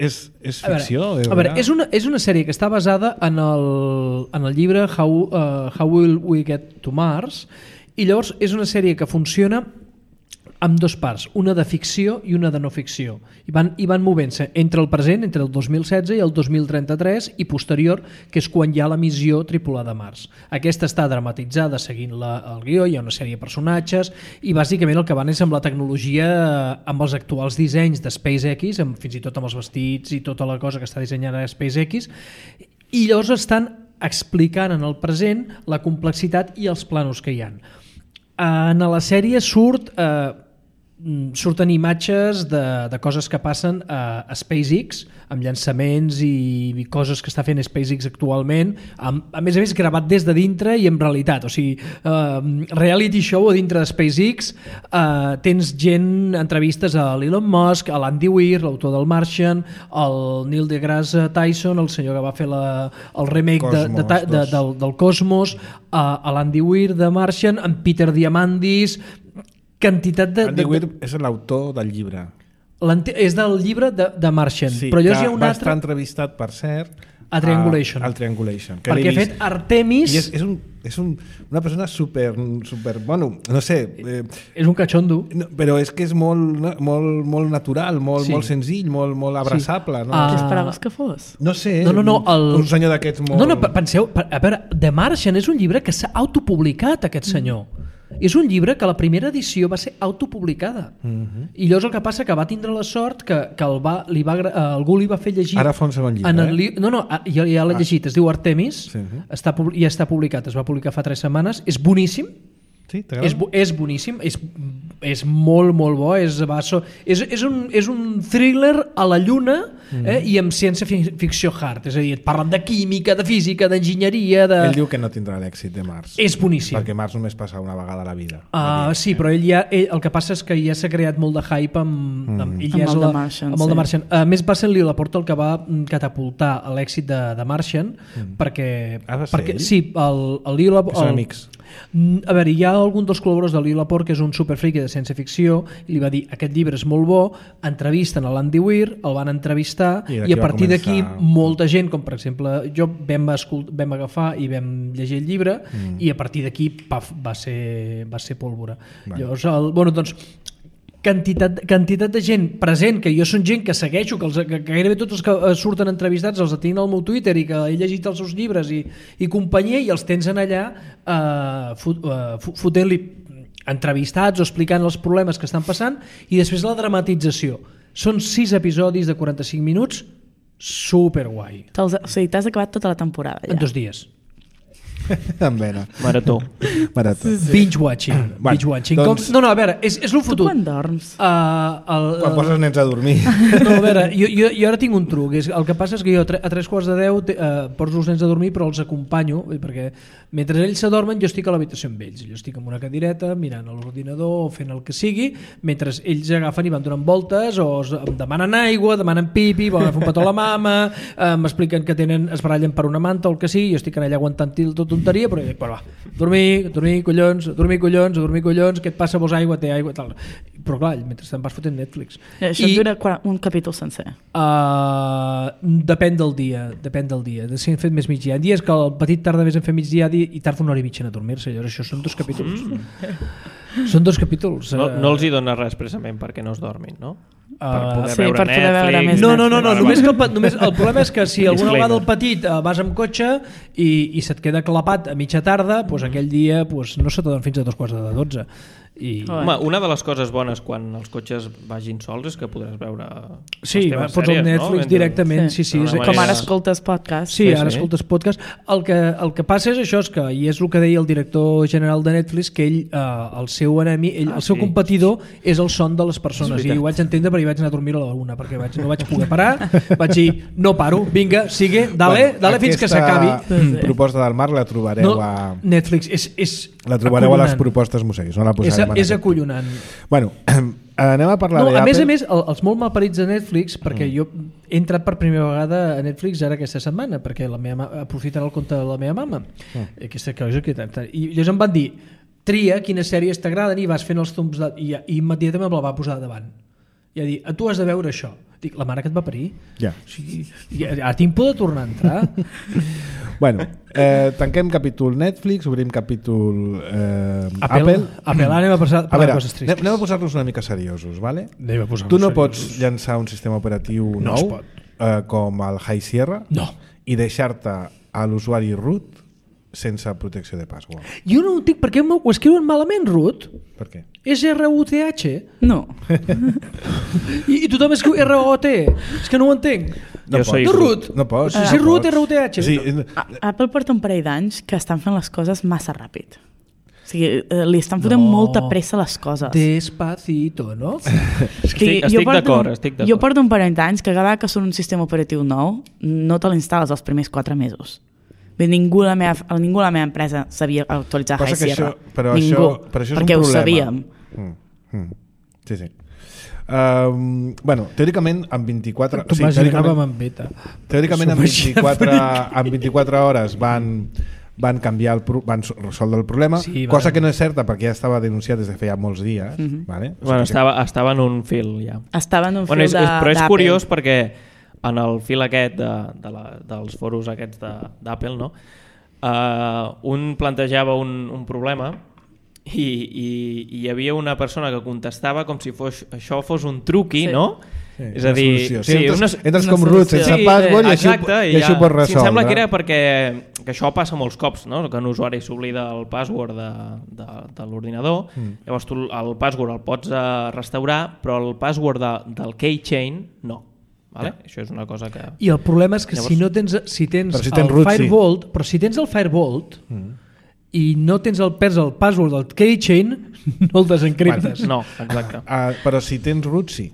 ficció? A veure, és una sèrie que està basada en el llibre How Will We Get to Mars, i llavors és una sèrie que funciona amb 2 parts, una de ficció i una de no ficció, i van movent-se entre el present, entre el 2016 i el 2033 i posterior, que és quan hi ha la missió tripulada a Mars. Aquesta està dramatitzada seguint el guió, hi ha una sèrie de personatges i bàsicament el que van és amb la tecnologia, amb els actuals dissenys de SpaceX, fins i tot amb els vestits i tota la cosa que està dissenyant a SpaceX, i llavors estan explicant en el present la complexitat i els plànols que hi ha. En la sèrie surten imatges de coses que passen a SpaceX, amb llançaments i coses que està fent SpaceX actualment, a més gravat des de dintre i en realitat, o sigui, reality show a dintre de SpaceX. Tens entrevistes a l'Elon Musk, a l'Andy Weir, l'autor del Martian, el Neil deGrasse Tyson, el senyor que va fer el remake del Cosmos, a l'Andy Weir de Martian, amb Peter Diamandis, quantitat de... Andy Weir és l'autor del llibre. És del llibre de Martian. Sí, però que va estar entrevistat, per cert, a Triangulation. Al Triangulation. Perquè ha fet Artemis... I és una persona super bueno, no sé... És un cachondo. Però és que és molt natural, molt senzill, molt abraçable. No? Què esperaves que fos? No sé, un senyor d'aquests molt... No, penseu, a veure, The Martian és un llibre que s'ha autopublicat, aquest senyor. És un llibre que la primera edició va ser autopublicada. I llavors el que passa que va tindre la sort que algú li va fer llegir... Ara fa un segon llibre. Ja l'he llegit, es diu Artemis, ja està publicat, es va publicar fa 3 setmanes, és boníssim, Sí, t'agrada? És boníssim, és molt, molt bo. És un thriller a la lluna i amb ciència-ficció hard. És a dir, et parlen de química, de física, d'enginyeria... Ell diu que no tindrà l'èxit de Mars. És boníssim. Perquè Mars només passa una vegada a la vida. Sí, però el que passa és que ja s'ha creat molt de hype amb el de Martian. A més, va ser el Lee Laporte el que va catapultar l'èxit de Martian, perquè... Sí, el Lee Laporte... Són amics. A veure, hi ha algun dels col·laboradors de Lee Laporte que és un superfriqui de ciència-ficció i li va dir, aquest llibre és molt bo, entrevisten a l'Andy Weir, el van entrevistar i a partir d'aquí molta gent, com per exemple jo, vam agafar i vam llegir el llibre i a partir d'aquí va ser pólvora. Llavors, doncs quantitat de gent present, que jo són gent que segueixo, que gairebé tots els que surten entrevistats els tinc al meu Twitter i que he llegit els seus llibres i companyia, i els tens en allà fotent-li entrevistats o explicant els problemes que estan passant, i després la dramatització. Són 6 episodis de 45 minuts, superguai. O sigui, t'has acabat tota la temporada ja. En 2 dies. En vena. Marató. Binge watching. Doncs... No, a veure, és el fotut. Tu quan dorms? Quan poses nens a dormir. No, a veure, jo ara tinc un truc. El que passa és que jo a 9:45 poso els nens a dormir, però els acompanyo, perquè mentre ells s'adormen jo estic a l'habitació amb ells. Jo estic en una cadireta mirant a l'ordinador o fent el que sigui, mentre ells agafen i van donant voltes o em demanen aigua, demanen pipi, volen fer un petó a la mama, m'expliquen que es barallen per una manta o el que sigui, jo estic en allà aguantant tot tonteria, però dic, va, dormir, collons, què et passa, vols aigua, té aigua, tal. Però clar, mentrestant vas fotent Netflix. Això dura un capítol sencer? Depèn del dia. Si hem fet més migdia. Hi ha dies que el petit tarda més en fer migdia i tarda 1 hora i mitja en adormir-se. Llavors això són 2 capítols. Són 2 capítols. No els hi dona res precisament perquè no es dormin, no? Per poder veure Netflix. No, només el problema és que si alguna vegada el petit vas amb cotxe i se't queda clapat a mitja tarda, doncs aquell dia no se t'adorm fins a 11:45. Home, una de les coses bones quan els cotxes vagin sols és que podràs veure les teves pots sèries, el Netflix directament. Sí. Com ara escoltes podcast. Sí, ara escoltes podcast. El que passa és això, i és el que deia el director general de Netflix, que ell, el seu enemic, el seu competidor és el son de les persones, i ho vaig entendre perquè vaig anar a dormir a la 1 perquè no vaig poder parar, vaig dir, no paro, vinga, sigue, dale fins que s'acabi. Aquesta proposta del Marc la trobareu a Netflix. La trobareu a les propostes museus, no la posarem. És acollonant. Bueno, anem a parlar d'Apple. A més, els molt malparits de Netflix, perquè jo he entrat per primera vegada a Netflix ara aquesta setmana, perquè aprofiten el compte de la meva mama. Aquesta cosa i llavors em van dir, tria quines sèries t'agraden, i vas fent els thumbs i immediatament me la va posar davant. I va dir, tu has de veure això. Dic, la mare que et va parir? Ja. Ara tinc por de tornar a entrar. Bueno, tanquem capítol Netflix, obrim capítol Apple. Anem a passar per coses tristes. Anem a posar-nos una mica seriosos, ¿vale? Tu no pots llançar un sistema operatiu nou com el High Sierra i deixar-te a l'usuari root sense protecció de password. Jo no ho dic perquè ho escriuen malament, root. Per què? És R-U-T-H? No. I tothom escriu R-O-T. És que no ho entenc. No root. No pots. Si root, R-U-T-H. Apple porta un parell d'anys que estan fent les coses massa ràpid. O sigui, li estan fotent molta pressa a les coses. Despacito, no? Estic d'acord. Jo porto un parell d'anys que cada vegada que surt un sistema operatiu nou no te l'instal·les els primers 4 mesos. Ningú a la meva empresa sabia actualitzar High Sierra. Ningú, perquè ho sabíem. Sí. Bueno, teòricament en 24... Tu imaginàvem amb beta. Teòricament en 24 hores van canviar van resoldre el problema, cosa que no és certa perquè ja estava denunciat des de feia molts dies. Vale? Bueno, estava en un fil ja. Estava en un fil d'Apple. Però és curiós perquè en el fil aquest dels foros aquests d'Apple, no? Un plantejava un problema i hi havia una persona que contestava com si això fos un truqui, no? És a dir, entres com root sense password i això ho pots resoldre. Em sembla que era perquè això passa molts cops, no? Que un usuari s'oblida el password de l'ordinador, llavors tu el password el pots restaurar, però el password del keychain no. Vale? Això és una cosa que... I el problema és que llavors, si tens el Firebolt, però si tens el Firebolt i no tens el password del keychain, no el desencriptes. No, exacte. Però si tens root, sí.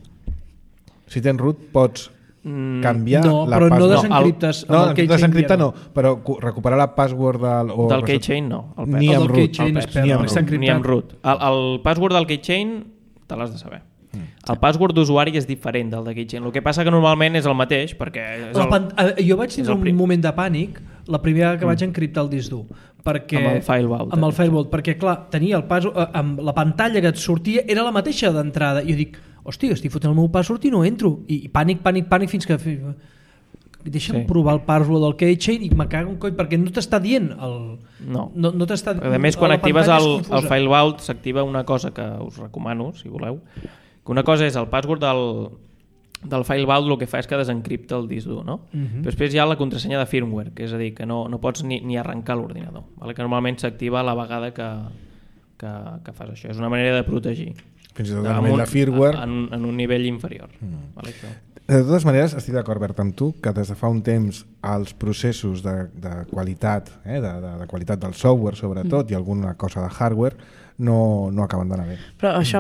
Si tens root pots canviar la però password. no desencriptes amb el keychain. Desencriptar no, però recuperar la password del keychain no. Ni amb root. Ni amb root. El password del keychain te l'has de saber. El password d'usuari és diferent del de keychain. El que passa que normalment és el mateix perquè jo vaig tindre un moment de pànic la primera que vaig encriptar el disc dur perquè, amb el Firewall perquè clar, tenia el password amb la pantalla que et sortia era la mateixa d'entrada i jo dic, hòstia, estic fotent el meu password i no entro i pànic fins que deixa'm provar el password del keychain i me cago un coll perquè no t'està dient no t'està... A més, quan actives el Firewall s'activa una cosa que us recomano, si voleu, que una cosa és el password del FileVault, el que fa és que desencripta el disc dur, no? Però després hi ha la contrasenya de firmware, que és a dir, que no pots ni arrencar l'ordinador, vale? Que normalment s'activa a la vegada que fas això. És una manera de protegir. Fins i tot a nivell de firmware. En un nivell inferior. Vale? De totes maneres, estic d'acord, Bert, amb tu, que des de fa un temps els processos de qualitat, de qualitat del software, sobretot, i alguna cosa de hardware, no acaben d'anar bé. Però això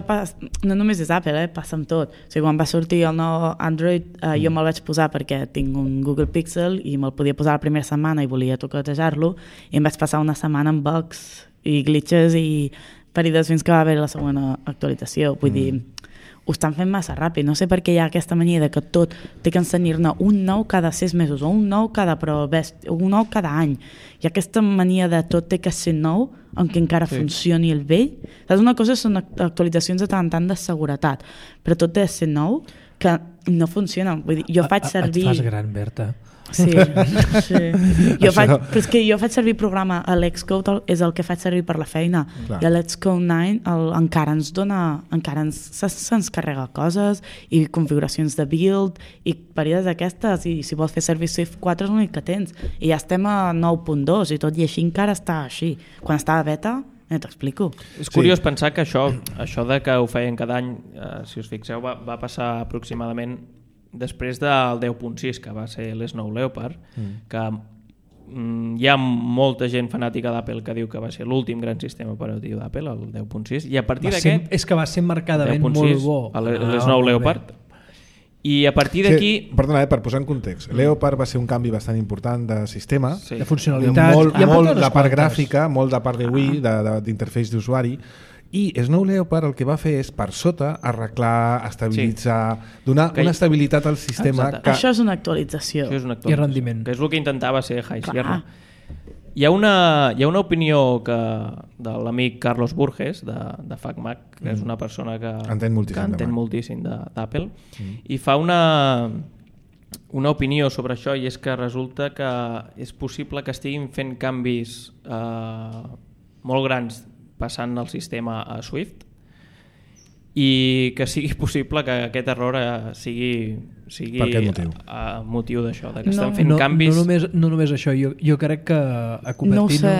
no només és Apple, passa amb tot. O sigui, quan va sortir el nou Android, jo me'l vaig posar perquè tinc un Google Pixel i me'l podia posar la primera setmana i volia toquetejar-lo, i em vaig passar una setmana amb bugs i glitches i ferides fins que va haver la segona actualització. Vull dir, ho estan fent massa ràpid. No sé per què hi ha aquesta mania de que tot té que ensenyar-ne un nou cada 6 mesos o un nou cada any. Hi ha aquesta mania de tot té que ser nou aunque encara funcioni el vell. Saps? Una cosa són actualitzacions de tant en tant de seguretat, però tot té que ser nou que no funciona. Vull dir, jo faig servir... Et fas gran, Berta. Sí. Però és que jo faig servir programa a l'Xcode, és el que faig servir per la feina. Clar. I a l'Xcode 9 encara se'ns carrega coses i configuracions de build i períodes d'aquestes, i si vols fer servir Swift 4 és l'únic que tens, i ja estem a 9.2 i tot i així encara està així. Quan estava beta t'explico. És curiós pensar que això de que ho feien cada any, si us fixeu, va passar aproximadament després del 10.6, que va ser l'Snow Leopard, que hi ha molta gent fanàtica d'Apple que diu que va ser l'últim gran sistema operatiu d'Apple, el 10.6, i a partir d'aquest... És que va ser marcadament molt bo. L'Snow Leopard. I a partir d'aquí... Perdona, per posar en context, Leopard va ser un canvi bastant important de sistema, de funcionalitat, molt de part gràfica, molt de part de UI, d'interfeix d'usuari, i Snow Leopard el que va fer és per sota arreglar, estabilitzar, donar una estabilitat al sistema. Això és una actualització. I rendiment. Que és el que intentava ser High Sierra. Hi ha una opinió de l'amic Carlos Burges de FacMac, que és una persona que entén moltíssim d'Apple, i fa una opinió sobre això, i és que resulta que és possible que estiguin fent canvis molt grans passant el sistema a Swift i que sigui possible que aquest error sigui motiu d'això, que estan fent canvis. No només això, jo crec que a Cupertino... No ho sé,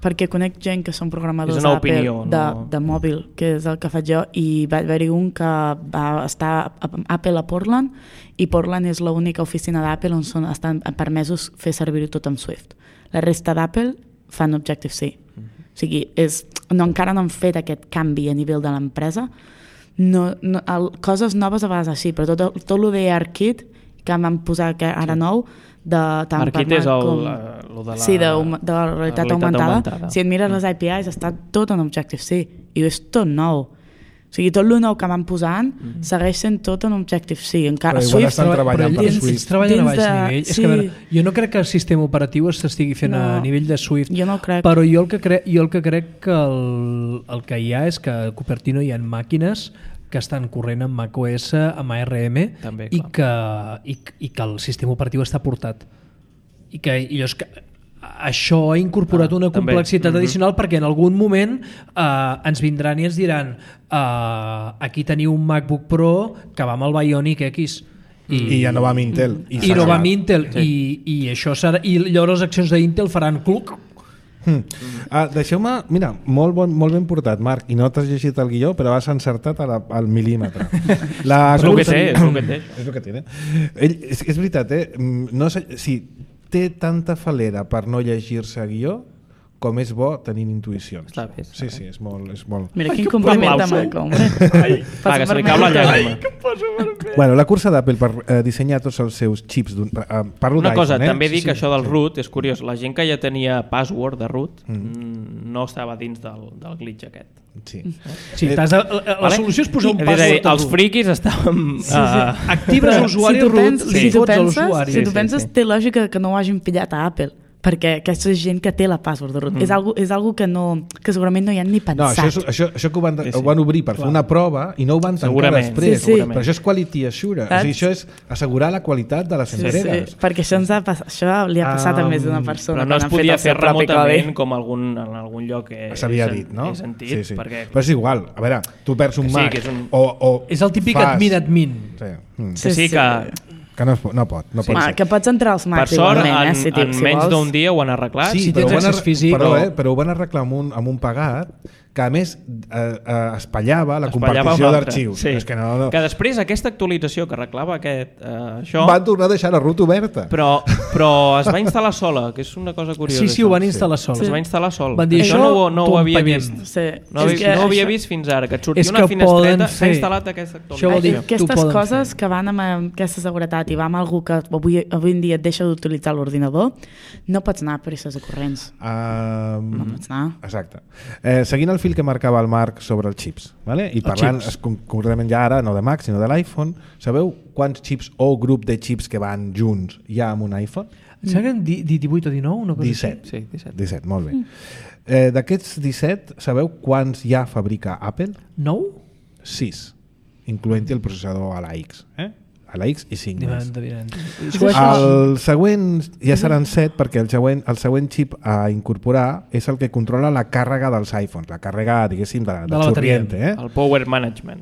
perquè conec gent que són programadors de mòbil, que és el que faig jo, i va haver-hi un que va estar a Apple a Portland, i Portland és l'única oficina d'Apple on estan permesos fer servir-ho tot amb Swift. La resta d'Apple fan Objective-C. O sigui, encara no han fet aquest canvi a nivell de l'empresa. Coses noves a vegades així, però tot el de ARKit que van posar ara nou, ARKit és de la realitat augmentada. Si et mires les APIs està tot en Objective-C i és tot nou. O sigui, tot el nou que van posant segueix sent tot en Objective-C. Encara però igual estan treballant per Swift. Treballen a baix nivell. És que, jo no crec que el sistema operatiu s'estigui fent a nivell de Swift. Jo no crec. Però jo el que crec que el que hi ha és que a Cupertino hi ha màquines que estan corrent amb macOS, amb ARM, també, i que el sistema operatiu està portat. I que això ha incorporat una complexitat addicional perquè en algun moment ens vindran i ens diran aquí teniu un MacBook Pro que va amb el Bionic X i ja no va amb Intel i no va amb Intel i això serà, i llavors les accions d'Intel faran cluc. Deixeu-me, mira, molt ben portat, Marc, i no t'has llegit el guió però has encertat al mil·límetre. És el que té. És el que té. És veritat, no sé si té tanta falera per no llegir-se guió com és bo tenint intuïcions. Està bé. Sí, és molt... Mira, quin compliment de Michael. Va, que se li cau la llàgrima. Bueno, la cursa d'Apple per dissenyar tots els seus xips, parlo una cosa, d'iPhone, també dic que això del root és curiós, la gent que ja tenia password de root no estava dins del glitch aquest. Sí. La solució és posar un password els friquis estàvem... Actives l'usuari root, li fots a l'usuari. Si tu penses, té lògica que no ho hagin pillat a Apple, perquè aquesta gent que té la password de root és algo que segurament no hi han ni pensat. No, això que ho van obrir per fer una prova i no ho van tancar després. Però això és quality assurance, o sigui, això és assegurar la qualitat de les entregues. Perquè això li ha passat a més d'una persona. Però no es podia fer remotament com en algun lloc s'havia dit, no? He sentit. Però és igual, a veure, tu perds un Mac és el típic admin. Sí, que no pot. Que pots entrar als Macs igualment, si en menys d'un dia ho han arreglat. Sí, tens accés físic. Però ho van arreglar amb un pagat que a més espatllava la compartició d'arxius. Sí. Que després aquesta actualització que arreglava això... Van tornar a deixar la root oberta. Però es va instal·lar sola, que és una cosa curiosa. Sí, ho van instal·lar sola. Es va instal·lar sol. Van dir, això no ho havia vist. No ho havia vist fins ara, que et sortia una finestreta, s'ha instal·lat aquesta actualització. Aquestes coses que van amb aquesta seguretat i va amb algú que avui en dia et deixa d'utilitzar l'ordinador, no pots anar a presses de corrents. No pots anar. Exacte. Seguint el fil que marcava el Marc sobre els xips, vale? I parlant concretament ja ara no de Mac sinó de l'iPhone, sabeu quants xips o grup de xips que van junts hi ha amb un iPhone? Em sembla que 18 o 19? Una cosa 17. Sí, 17, molt bé. D'aquests 17, sabeu quants ja fabrica Apple? 9? 6, incloent-hi el processador a la X. A la X i 5 més. El següent ja seran 7 perquè el següent xip a incorporar és el que controla la càrrega dels iPhones, la càrrega, diguéssim, de xorriente. El Power Management.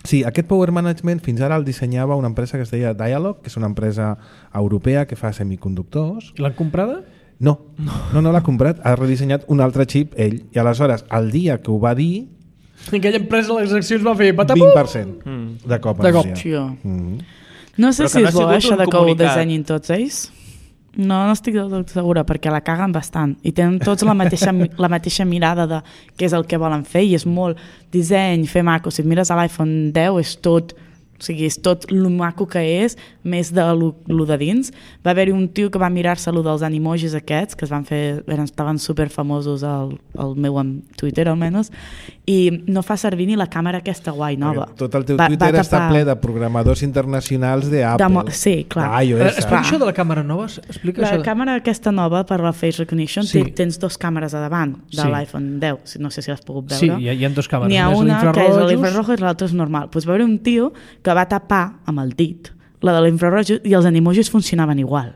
Sí, aquest Power Management fins ara el dissenyava una empresa que es deia Dialog, que és una empresa europea que fa semiconductors. L'han comprada? No l'ha comprat, ha redissenyat un altre xip ell, i aleshores el dia que ho va dir aquella empresa les accions va fer 20% de cop. No sé si és bo això de que ho dissenyin tots ells. No estic del tot segura, perquè la caguen bastant i tenen tots la mateixa mirada de què és el que volen fer i és molt disseny, fer maco. Si mires a l'iPhone 10 és tot, o sigui, és tot lo maco que és, més de lo de dins. Va haver-hi un tio que va mirar-se lo dels animojis aquests, que es van fer, estaven super famosos al meu Twitter almenys, i no fa servir ni la càmera aquesta guai nova. Tot el teu Twitter està ple de programadors internacionals d'Apple. Sí, clar. Explica això de la càmera nova. La càmera aquesta nova per la Face Recognition, tens dos càmeres a davant de l'iPhone 10, no sé si l'has pogut veure. Sí, hi ha dos càmeres. N'hi ha una que és l'infrarojo i l'altra és normal. Doncs va haver un tio que va tapar amb el dit la de l'infraroig i els animojis funcionaven igual.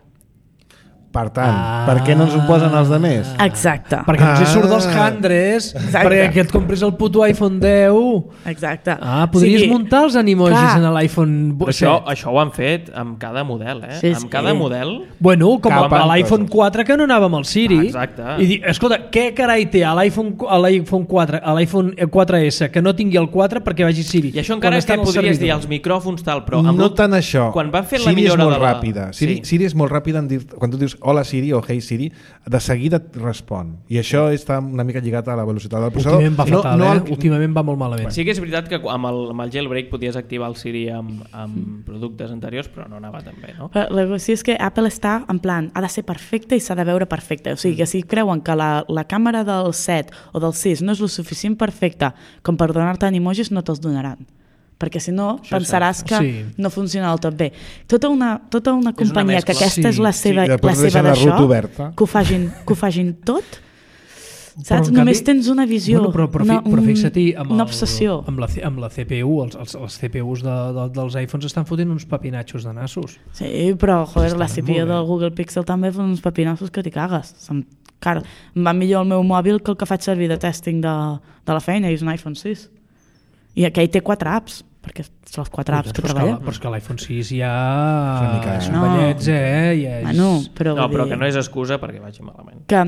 Per tant, per què no ens ho posen els altres? Exacte. Perquè no surt dels handres, perquè que et compris el puto iPhone 10. Exacte. Podries muntar els animojis en l'iPhone 7. Això ho han fet amb cada model, amb cada model. Bueno, com a l'iPhone 4 que no anava amb el Siri. Exacte. I dir, escolta, què carai té a l'iPhone 4, a l'iPhone 4S que no tingui el 4 perquè vagi Siri? I això encara que podries dir els micròfons tal, però... No tant això. Quan van fer la millora de la... Siri és molt ràpida en dir... Quan tu dius hola Siri o hey Siri, de seguida et respon. I això està una mica lligat a la velocitat del processador. Últimament va fatal, últimament va molt malament. Sí que és veritat que amb el jailbreak podies activar el Siri amb productes anteriors, però no anava tan bé, no? La qüestió és que Apple està en plan, ha de ser perfecte i s'ha de veure perfecte. O sigui, que si creuen que la càmera del 7 o del 6 no és lo suficient perfecta com per donar-te animojis, no te'ls donaran. Perquè si no pensaràs que no funciona del tot bé. Tota una companyia que aquesta és la seva d'això, que ho fagin tot, saps? Només tens una visió, però fixa't-hi, una obsessió. Amb la CPU, els CPUs dels iPhones estan fotent uns papinatxos de nassos. Sí, però joder, la CPU del Google Pixel també fa uns papinassos que t'hi cagues. Em va millor el meu mòbil que el que faig servir de testing de la feina, i és un iPhone 6. I aquell té 4 apps, perquè són les 4 apps que treballa. Però és que l'iPhone 6 ja són ballets, però que no és excusa perquè vagi malament. Que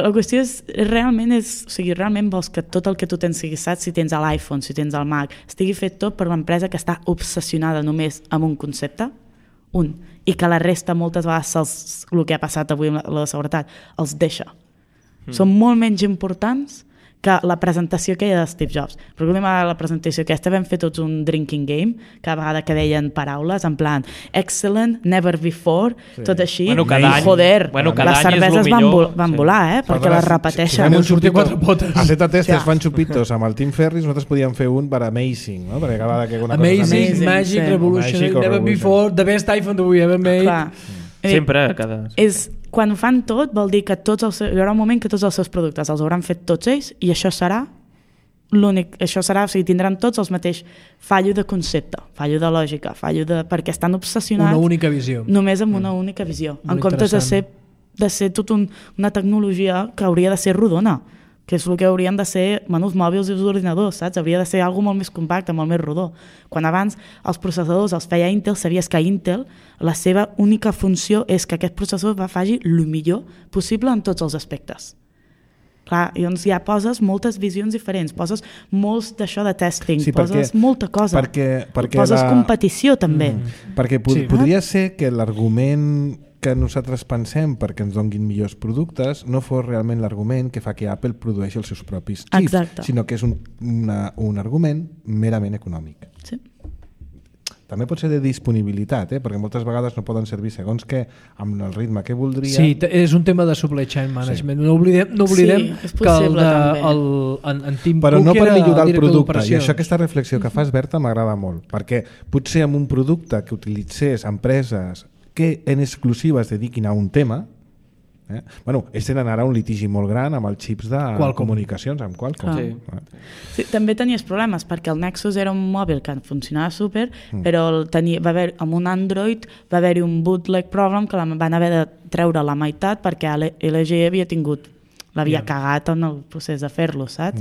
la qüestió és, realment vols que tot el que tu tens sigui saps, si tens a l'iPhone, si tens al Mac, estigui fet tot per una empresa que està obsessionada només amb un concepte, i que la resta moltes vegades el que ha passat avui amb la seguretat els deixa. són molt menys importants que la presentació aquella de Steve Jobs. Però l'última vegada la presentació aquesta vam fer tots un drinking game, cada vegada que deien paraules, en plan, excellent, never before, tot així. Bueno, cada any, joder, cada les cerveses van volar, perquè les repeteixen. Van sortir 4 potes. A Zeta Testes fan xupitos amb el Tim Ferriss, nosaltres podíem fer un per Amazing, no? Perquè cada vegada que una Amazing, cosa... Magic, Revolution, never before, the best iPhone that we ever made. Clar. Sempre, Quan fan tot, vol dir que hi haurà un moment que tots els seus productes els hauran fet tots ells i això serà l'únic, o sigui, tindran tots els mateix fallo de concepte, fallo de lògica, perquè estan obsessionats una única visió. Només amb una única visió, en comptes de ser tot una tecnologia que hauria de ser rodona, que és el que haurien de ser menús mòbils i els ordinadors, saps? Hauria de ser alguna molt més compacte, molt més rodó. Quan abans els processadors els feia Intel, sabies que Intel, la seva única funció és que aquest processor faci el millor possible en tots els aspectes. Clar, llavors ja poses moltes visions diferents, poses molts d'això de testing, poses molta cosa, poses competició també. Perquè podria ser que l'argument que nosaltres pensem perquè ens donguin millors productes no fos realment l'argument que fa que Apple produeixi els seus propis xips, sinó que és un argument merament econòmic. Sí. També pot ser de disponibilitat, perquè moltes vegades no poden servir segons què amb el ritme que voldria. Sí, és un tema de supply chain management. No oblidem que en Tim Cook però no per millorar el producte. d'operacions. I això, aquesta reflexió que fas, Berta, m'agrada molt, perquè potser amb un producte que utilitzés empreses que en exclusiva es dediquin a un tema, ells tenen ara un litigi molt gran amb els xips de comunicacions, amb Qualcomm. Sí, també tenies problemes, perquè el Nexus era un mòbil que funcionava super, però amb un Android va haver-hi un bootleg problem que van haver de treure la meitat perquè LG l'havia cagat en el procés de fer-lo, saps?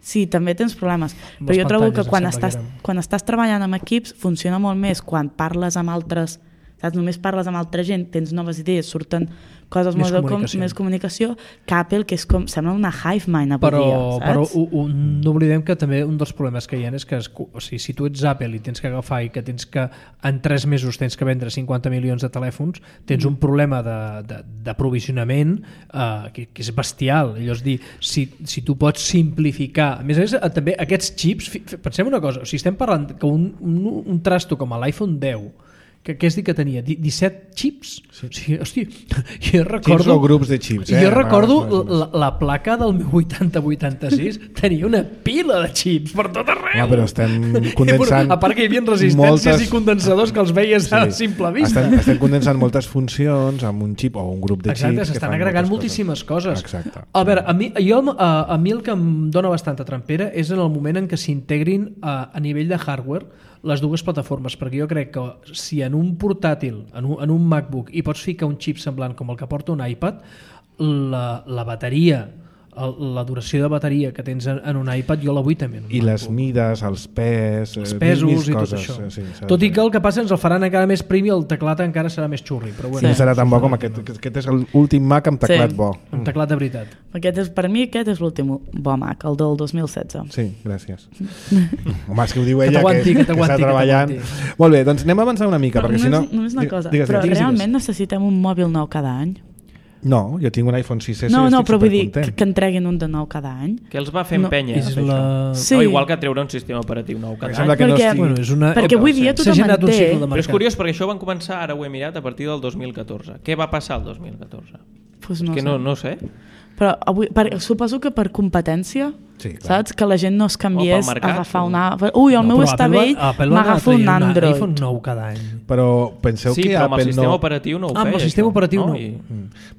Sí, també tens problemes, però jo trobo que quan estàs treballant amb equips funciona molt més quan parles amb altres, saps? Només parles amb altra gent, tens noves idees, surten coses més comunicació, que Apple, que és com, sembla una hive mind avui dia, saps? Però no oblidem que també un dels problemes que hi ha és que si tu ets Apple i tens que agafar i que tens que en 3 mesos tens que vendre 50 milions de telèfons, tens un problema d'aprovisionament que és bestial. Llavors dir, si tu pots simplificar, a més també aquests xips, pensem una cosa, si estem parlant que un trasto com l'iPhone 10 que és dir que tenia 17 xips. Sí. O sigui, hòstia, jo recordo... Xips o grups de xips, Jo recordo la placa del meu 8086 tenia una pila de xips per tot arreu. Ja, però estem condensant... A part que hi havia resistències i condensadors que els veies a simple vista. Estem condensant moltes funcions amb un xip o un grup de xips. Exacte, s'estan agregant moltíssimes coses. Exacte. A veure, a mi el que em dona bastanta trampera és en el moment en què s'integrin a nivell de hardware les dues plataformes, perquè jo crec que si en un portàtil, en un MacBook, hi pots ficar un xip semblant com el que porta un iPad, la bateria, la duració de bateria que tens en un iPad jo la vull també en un i MacBook. Les mides, els pesos i tot això. Tot i que el que passa ens el faran encara més prim i el teclat encara serà més xurri, però bueno. No serà tan bo com aquest és l'últim Mac amb teclat bo. Amb teclat de veritat. Per mi aquest és l'últim bo Mac, el del 2016. Sí, gràcies. Home, és que ho diu ella que està treballant. Molt bé, doncs anem a avançar una mica, perquè si no... Només una cosa, però realment necessitem un mòbil nou cada any? No, jo tinc un iPhone 6S no, però vull dir que entreguin un de nou cada any. Que els va fer empènyer. Sí. O igual que treure un sistema operatiu nou cada any. Perquè avui dia tothom en té. Però és curiós perquè això van començar, ara ho he mirat, a partir del 2014. Què va passar el 2014? Pues no sé. Però suposo que per competència, saps? Que la gent no es canviés a agafar una... Ui, el meu està vell, m'agafo un Android. iPhone nou cada any. Però penseu que però amb Apple el sistema operatiu no ho feia. Amb el sistema operatiu no.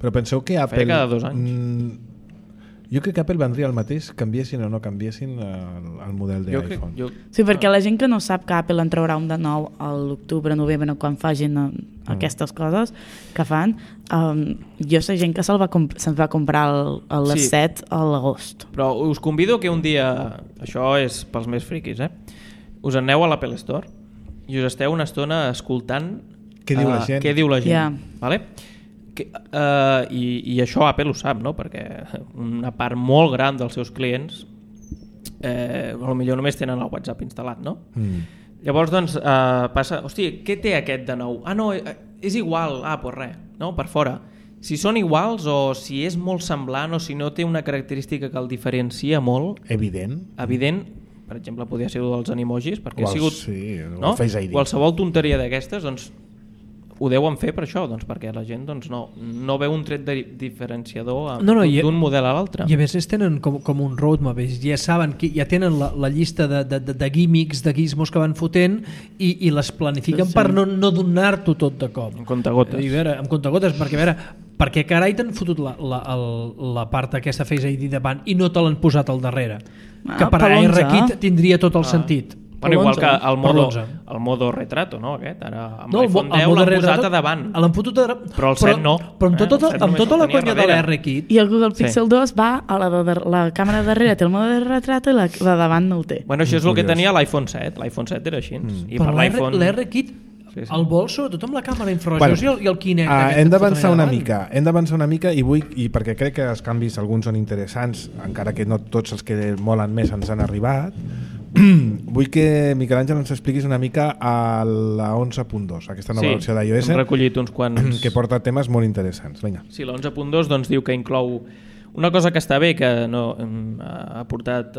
Però penseu que Apple... Feia cada 2 anys. Jo crec que Apple vendria el mateix canviessin o no canviessin el model d'iPhone. Sí, perquè la gent que no sap que Apple en traurà un de nou a l'octubre, novembre, quan facin aquestes coses que fan, jo sé gent que se'ns va comprar les 7 a l'agost. Però us convido que un dia, això és pels més friquis, us aneu a l'Apple Store i us esteu una estona escoltant què diu la gent. Yeah. Vale? I això Apple ho sap, no? Perquè una part molt gran dels seus clients potser només tenen el WhatsApp instal·lat, no? Llavors doncs passa, hòstia, què té aquest de nou? No, és igual, doncs res, no? Per fora. si són iguals o si és molt semblant o si no té una característica que el diferencia molt. Evident. Per exemple, podria ser dels animojis, perquè ha sigut... Sí, no? Qualsevol tonteria d'aquestes, doncs, ho deuen fer per això, doncs, perquè la gent doncs, no veu un tret diferenciador d'un model a l'altre. I a més tenen com un roadmap, ja saben, ja tenen la llista de gimmicks, de gizmos que van fotent i les planifiquen per no donar-t'ho tot de cop. En comptagotes. En comptagotes, perquè carai t'han fotut la part aquesta Face ID davant i no te l'han posat al darrere. Que per ARKit tindria tot el sentit. Bueno, igual que el modo retrato, no? Aquest, ara amb l'iPhone 10 l'han posat a davant. Però el 7 no. Però amb tota la conya de l'ARKit. I el Google Pixel 2 va a la càmera darrere, té el modo de retrato i la davant no el té. Bueno, això és el que tenia l'iPhone 7. L'iPhone 7 era així. Però l'ARKit el vol sobretot amb la càmera infrarojos i el Kinect. Hem d'avançar una mica i perquè crec que els canvis alguns són interessants, encara que no tots els que molen més ens han arribat. Vull que Miquel Àngel ens expliquis una mica a la 11.2, aquesta nova versió d'iOS, hem recollit uns quants que porta temes molt interessants. Vinga. Sí, la 11.2 doncs, diu que inclou una cosa que està bé, que ha portat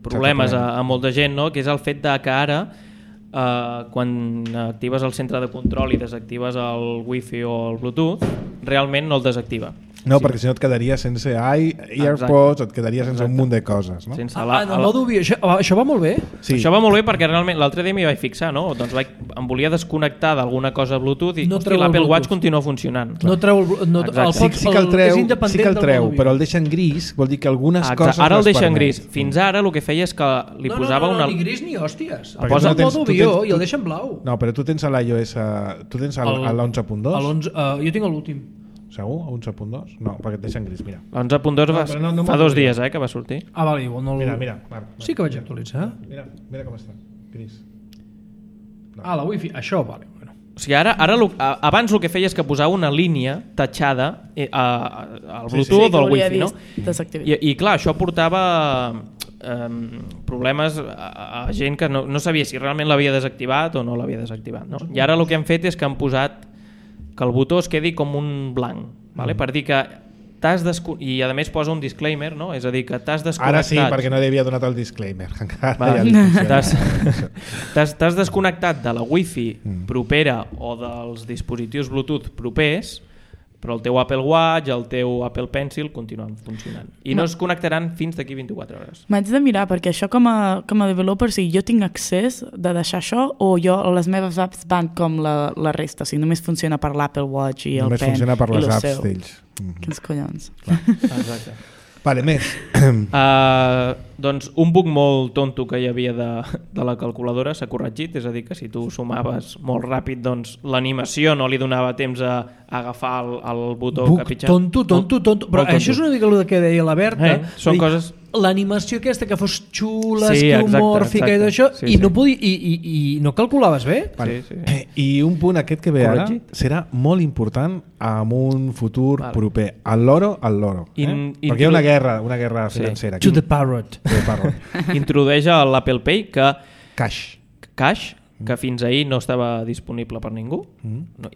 problemes a molta gent, no? Que és el fet que ara quan actives el centre de control i desactives el Wi-Fi o el Bluetooth, realment no el desactiva. No, perquè si no et quedaria sense AirPods, et quedaria sense un munt de coses, no? Això va molt bé? Sí. Això va molt bé perquè realment l'altre dia m'hi vaig fixar, no? Doncs em volia desconnectar d'alguna cosa Bluetooth i l'Apple Watch continua funcionant. No treu sí que el treu, però el deixa en gris, vol dir que algunes coses... Ara el deixa en gris. Fins ara el que feia és que li posava una... No, ni gris ni hòsties. El posa en modo avió i el deixa en blau. No, però tu tens a l'iOS... Tu tens a l'11.2? Jo tinc l'últim. Segur? A 11.2? No, perquè et deixen gris, mira. L'11.2 fa 2 dies que va sortir. Vale, igual no... Mira, Marc. Sí que vaig actualitzar. Mira com està, gris. La Wi-Fi, això, vale. O sigui, abans el que feia és que posava una línia tatxada al Bluetooth o al Wi-Fi, no? I clar, això portava problemes a gent que no sabia si realment l'havia desactivat o no l'havia desactivat, no? I ara el que han fet és que han posat que el botó es quedi com un blanc, vale? Per dir que i a més posa un disclaimer, no? És a dir, que t'has desconnectat. Ara sí, perquè no havia donat el disclaimer. T'has desconnectat de la Wi-Fi propera o dels dispositius Bluetooth propers, però el teu Apple Watch, el teu Apple Pencil continuen funcionant. I no es connectaran fins d'aquí 24 hores. M'haig de mirar, perquè això com a developer, si jo tinc accés de deixar això o les meves apps van com la resta, o sigui, només funciona per l'Apple Watch i el Pen. Només funciona per les apps d'ells. Quins collons. Exacte. Vale, més. Doncs un bug molt tonto que hi havia de la calculadora s'ha corregit, és a dir, que si tu sumaves molt ràpid, doncs l'animació no li donava temps a agafar el botó bug capitxat. Tonto. Però això és una mica el que deia la Berta. Són coses... L'animació aquesta que fos xula, esquiomòrfica i d'això, i no podia i no calculaves bé. I un punt aquest que ve ara serà molt important en un futur proper. El loro. Perquè hi ha una guerra financera. To the parrot. Introdueix a l'Apple Pay que Cash, que fins ahir no estava disponible per ningú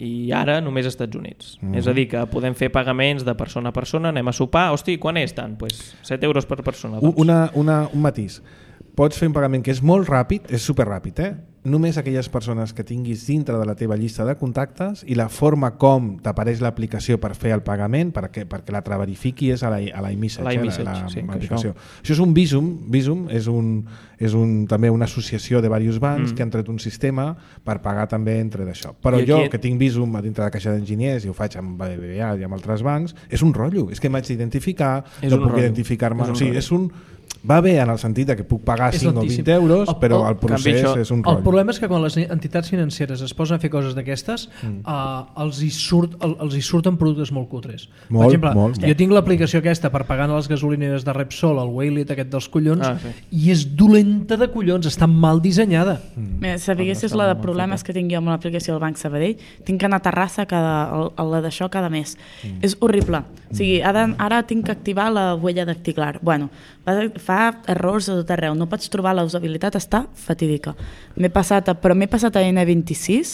i ara només als Estats Units. És a dir, que podem fer pagaments de persona a persona, anem a sopar, hosti, quan és tant? Pues 7 euros per persona. Un matís. Pots fer un pagament que és molt ràpid, és superràpid, només aquelles persones que tinguis dintre de la teva llista de contactes i la forma com t'apareix l'aplicació per fer el pagament, perquè la verifiqui és a l'iMessage, l'aplicació. Això és un Visum és també una associació de diversos bancs que han tret un sistema per pagar també entre d'això. Però jo, que tinc Visum a dintre de Caixa d'Enginyers i ho faig amb BBVA i amb altres bancs, és un rotllo, és que m'haig d'identificar, no puc identificar-me, o sigui, va bé en el sentit que puc pagar 5 o 20 euros, però el procés és un rotllo. El problema és que quan les entitats financeres es posen a fer coses d'aquestes, els hi surten productes molt cutres. Per exemple, jo tinc l'aplicació aquesta per pagar a les gasolineres de Repsol, el Waylet aquest dels collons, i és dolenta de collons, està mal dissenyada. Sabiguessis la de problemes que tinc jo amb l'aplicació del Banc Sabadell, tinc que anar a Terrassa la d'això cada mes. És horrible. O sigui, ara tinc que activar la huella dactilar. Bueno, fa errors a tot arreu, no pots trobar la usabilitat, està fatídica. M'he passat a N26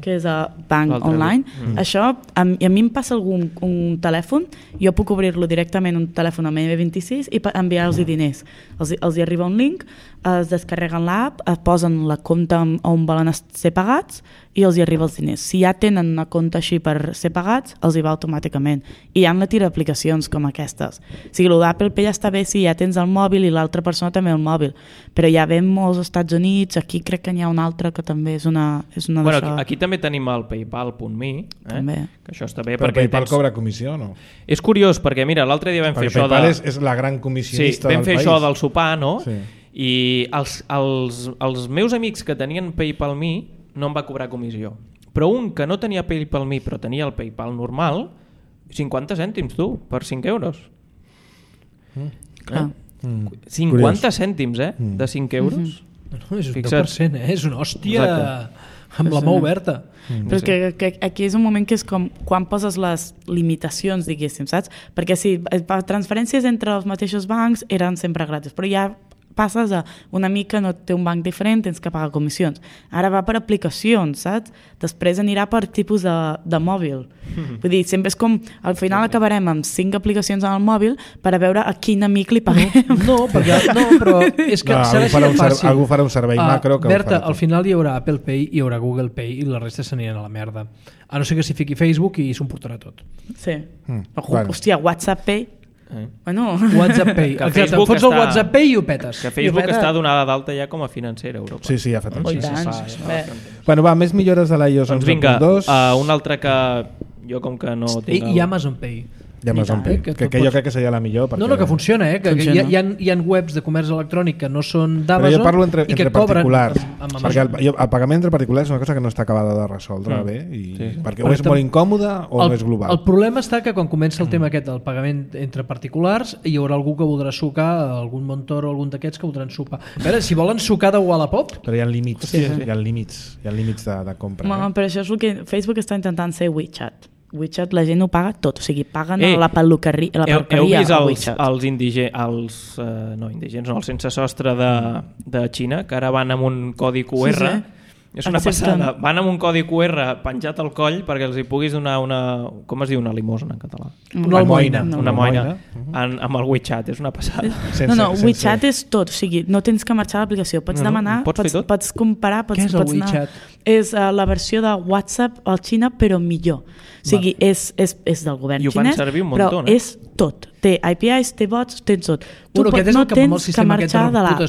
que és Bank Online. Això, a mi em passa un telèfon, jo puc obrir-lo directament un telèfon amb M26 i enviar-los diners. Els hi arriba un link, es descarreguen l'app, posen la compte on volen ser pagats i els hi arriba els diners. Si ja tenen una compte així per ser pagats, els hi va automàticament. I hi ha una tira d'aplicacions com aquestes. O sigui, el d'Apple Pay ja està bé si ja tens el mòbil i l'altra persona també el mòbil, però ja ve molts als Estats Units, aquí crec que n'hi ha una altra que també és una bueno, aquí també tenim el PayPal.me, que això està bé. Però PayPal cobra comissió, no? És curiós, perquè mira, l'altre dia vam fer això PayPal és la gran comissionista del país. Vam fer això del sopar, no? Sí. I els meus amics que tenien PayPal.me no em va cobrar comissió. Però un que no tenia PayPal.me però tenia el PayPal normal, 50 cèntims, tu, per 5 euros. 50 Curiós. Cèntims, de 5 euros. No, és un 10%, és una hòstia. Exacte. Amb la mà oberta. Però és que aquí és un moment que és com quan poses les limitacions, diguéssim, saps? Perquè si transferències entre els mateixos bancs eren sempre gratis, però ja passes a un amic que no té un banc diferent, tens que pagar comissions. Ara va per aplicacions, saps? Després anirà per tipus de mòbil. Vull dir, sempre és com, al final acabarem amb 5 aplicacions en el mòbil per a veure a quin amic li paguem. No, però és que serà així de fàcil. Algú farà un servei macro que Berta, al final hi haurà Apple Pay, hi haurà Google Pay i la resta s'aniran a la merda. A no ser que s'hi fiqui Facebook i s'ho emportarà tot. Sí. Hòstia, WhatsApp Pay. Bueno. WhatsApp Pay. Exacte, fots el WhatsApp Pay i ho petes. Que Facebook està donada d'alta ja com a financera a Europa. Sí, ja fa temps. Bueno, va, més millores de l'iOS 11.2. Doncs vinga, un altre que jo com que no tinc... I Amazon Pay. I Amazon Pay, que jo crec que seria la millor. No, que funciona, que hi ha webs de comerç electrònic que no són d'Amazon. Però jo parlo entre particulars, perquè el pagament entre particulars és una cosa que no està acabada de resoldre bé, perquè o és molt incòmode o no és global. El problema està que quan comença el tema aquest del pagament entre particulars hi haurà algú que voldrà sucar, algun Montoro o algun d'aquests que voldran sucar. A veure, si volen sucar de Wallapop... Però hi ha límits, hi ha límits de compra. Però això és el que Facebook està intentant ser WeChat. WeChat la gent ho paga tot, o sigui, paguen la perruqueria heu vist els indigents, els sense sostre de Xina, que ara van amb un codi QR, és una passada, van amb un codi QR penjat al coll perquè els hi puguis donar una, com es diu una limosna en català? Una almoina. Una almoina amb el WeChat, és una passada. No, WeChat és tot, o sigui, no tens que marxar a l'aplicació, pots demanar, pots comparar, què és el WeChat? És la versió de WhatsApp al Xina però millor. O sigui, és del govern xinès, però és tot. Té APIs, té bots, tens tot. Tu no tens que marxar de l'app.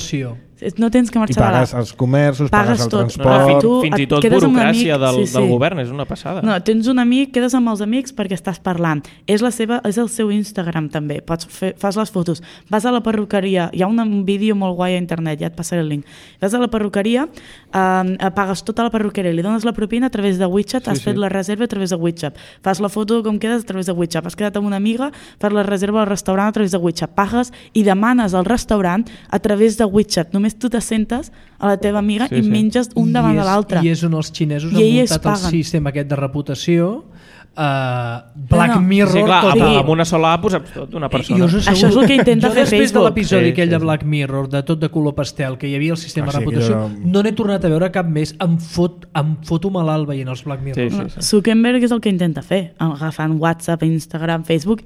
No tens que marxar de l'app. I pagues els comerços, pagues el transport... Fins i tot burocràcia del govern, és una passada. No, tens un amic, quedes amb els amics perquè estàs parlant. És el seu Instagram també, fas les fotos. Vas a la perruqueria, hi ha un vídeo molt guai a internet, ja et passaré el link. Vas a la perruqueria, pagues tota la perruqueria, li dones la propina a través de WeChat, has fet la reserva a través de WeChat, fas la foto com quedes a través de WeChat, has quedat amb una amiga, fas la reserva al restaurant a través de WeChat, pagues i demanes al restaurant a través de WeChat. Només tu t'assentes a la teva amiga i menges un davant de l'altre. I és on els xinesos han muntat el sistema aquest de reputació, Black Mirror... Sí, clar, amb una sola app pues, tot una persona. Això és el que intenta fer Facebook. Després de l'episodi aquell de Black Mirror, de tot de color pastel, que hi havia el sistema de reputació, no n'he tornat a veure cap més. Em foto malalt veient els Black Mirror. Zuckerberg és el que intenta fer, agafant WhatsApp, Instagram, Facebook,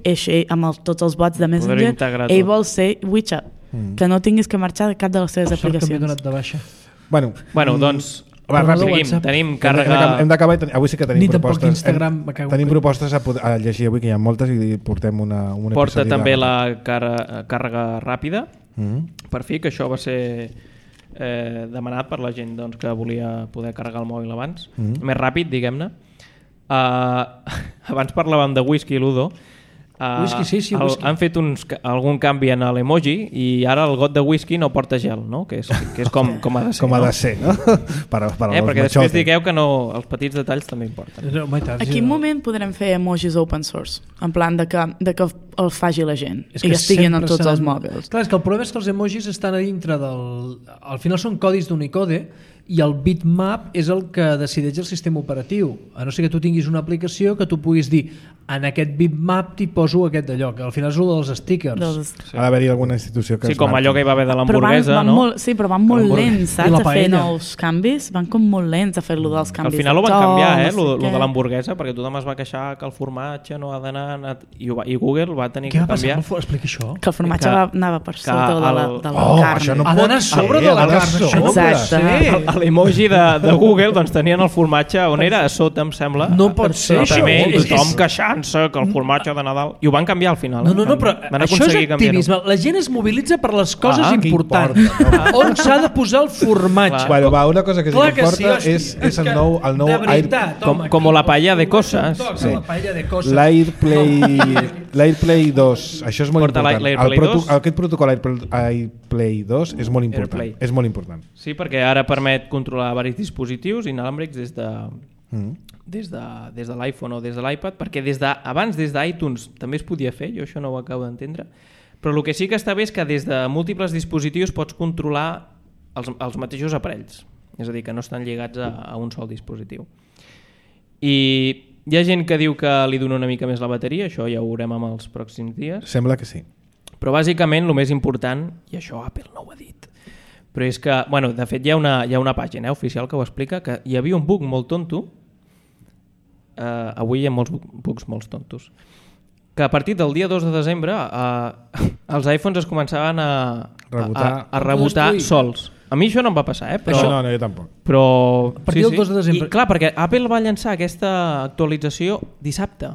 amb tots els bots de Messenger, ell vol ser WeChat, que no tinguis que marxar de cap de les seves aplicacions. M'he donat de baixa. Bueno, doncs... Tenim càrrega... Hem d'acabar i avui sí que tenim propostes. Instagram, tenim propostes a llegir avui, que hi ha moltes, i portem un episodi. Porta també la càrrega ràpida, per fi, que això va ser demanat per la gent que volia poder carregar el mòbil abans. Més ràpid, diguem-ne. Abans parlàvem de whisky i Ludo. Whisky. Han fet algun canvi en l'emoji i ara el got de whisky no porta gel, no? que és com ha de ser. Com ha de ser, no? Perquè després digueu que no, els petits detalls també importen. A quin moment podrem fer emojis open source? En plan de que el faci la gent i que estiguin en tots els mòbils. Clar, és que el problema és que els emojis estan a dintre del... Al final són codis d'Unicode i el bitmap és el que decideix el sistema operatiu. A no ser que tu tinguis una aplicació que tu puguis dir en aquest bitmap t'hi poso aquest d'allò, que al final és el dels stickers. Ha d'haver-hi alguna institució que com allò que hi va haver de l'hamburguesa, no? Sí, però van molt lents, saps? A fer nous canvis. Van com molt lents a fer-lo dels canvis. Al final ho van canviar, lo de l'hamburguesa, perquè tothom es va queixar que el formatge no ha d'anar... I Google va tenir que canviar... Què va passar? Explica això. Que el formatge anava per sota de la carn. Ha d'anar sobre de la carn. Exacte. A l'emoji de Google doncs tenien el formatge on era? A sota, em sembla. No pot ser això. Tothom queixant-se que el formatge de Nadal... I ho van canviar al final. No, però això és activisme. La gent es mobilitza per les coses importants. On s'ha de posar el formatge? Bueno, va, una cosa que sí que importa és el nou com la paella de coses. L'Airplay 2, això és molt important. Aquest protocol Airplay 2 és molt important. És molt important. Sí, perquè ara permet controlar diversos dispositius inalàmbrics des de l'iPhone o des de l'iPad, perquè abans des d'iTunes també es podia fer, jo això no ho acabo d'entendre, però el que sí que està bé és que des de múltiples dispositius pots controlar els mateixos aparells, és a dir, que no estan lligats a un sol dispositiu. I hi ha gent que diu que li dona una mica més la bateria, això ja ho veurem en els pròxims dies. Sembla que sí. Però bàsicament el més important, i això Apple no ho ha dit, però és que, bueno, de fet hi ha una pàgina oficial que ho explica, que hi havia un bug molt tonto, avui hi ha molts bugs molt tontos, que a partir del dia 2 de desembre els iPhones es començaven a rebotar sols. A mi això no em va passar, però... No, jo tampoc. Però... A partir del 2 de desembre. I clar, perquè Apple va llançar aquesta actualització dissabte.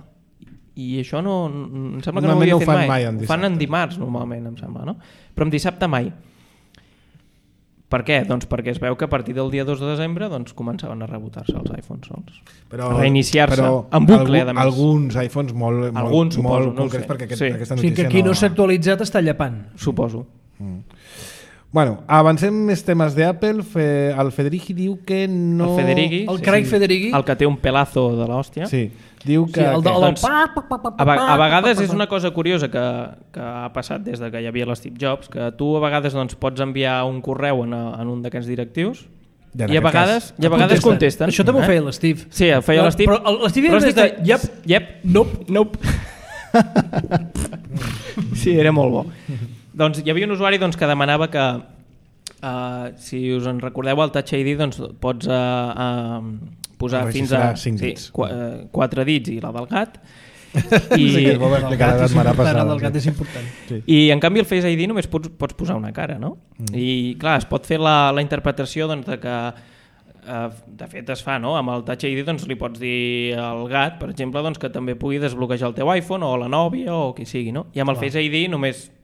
I això no... Em sembla que no ho havia fet mai. Ho fan en dimarts, normalment, em sembla, no? Però en dissabte mai. Per què? Doncs perquè es veu que a partir del dia 2 de desembre doncs, començaven a rebotar-se els iPhones sols. A reiniciar-se, en bucle, a més. Alguns iPhones molt concrets, perquè aquesta notícia no... que qui no s'ha actualitzat està llepant. Suposo. Bueno, avancem més temes d'Apple. El Federighi diu que no... El Craig Federighi? El que té un pelazo de l'hòstia. Sí, diu que... A vegades és una cosa curiosa que ha passat des que hi havia l'Steve Jobs, que tu a vegades doncs, pots enviar un correu en un d'aquests directius i a vegades contesten. Això també ho feia l'Steve. Sí, ho feia l'Steve. Però l'Steve era de... Yep, nope. Sí, era molt bo. Doncs hi havia un usuari que demanava que, si us en recordeu, el Touch ID doncs, pots posar fins a 4 dits i la del gat. El del gat és important. I en canvi el Face ID només pots posar una cara, no? I clar, es pot fer la interpretació doncs, de que de fet es fa, no? Amb el Touch ID doncs, li pots dir al gat, per exemple, doncs, que també pugui desbloquejar el teu iPhone o la nòvia o qui sigui, no? I amb el Face ID només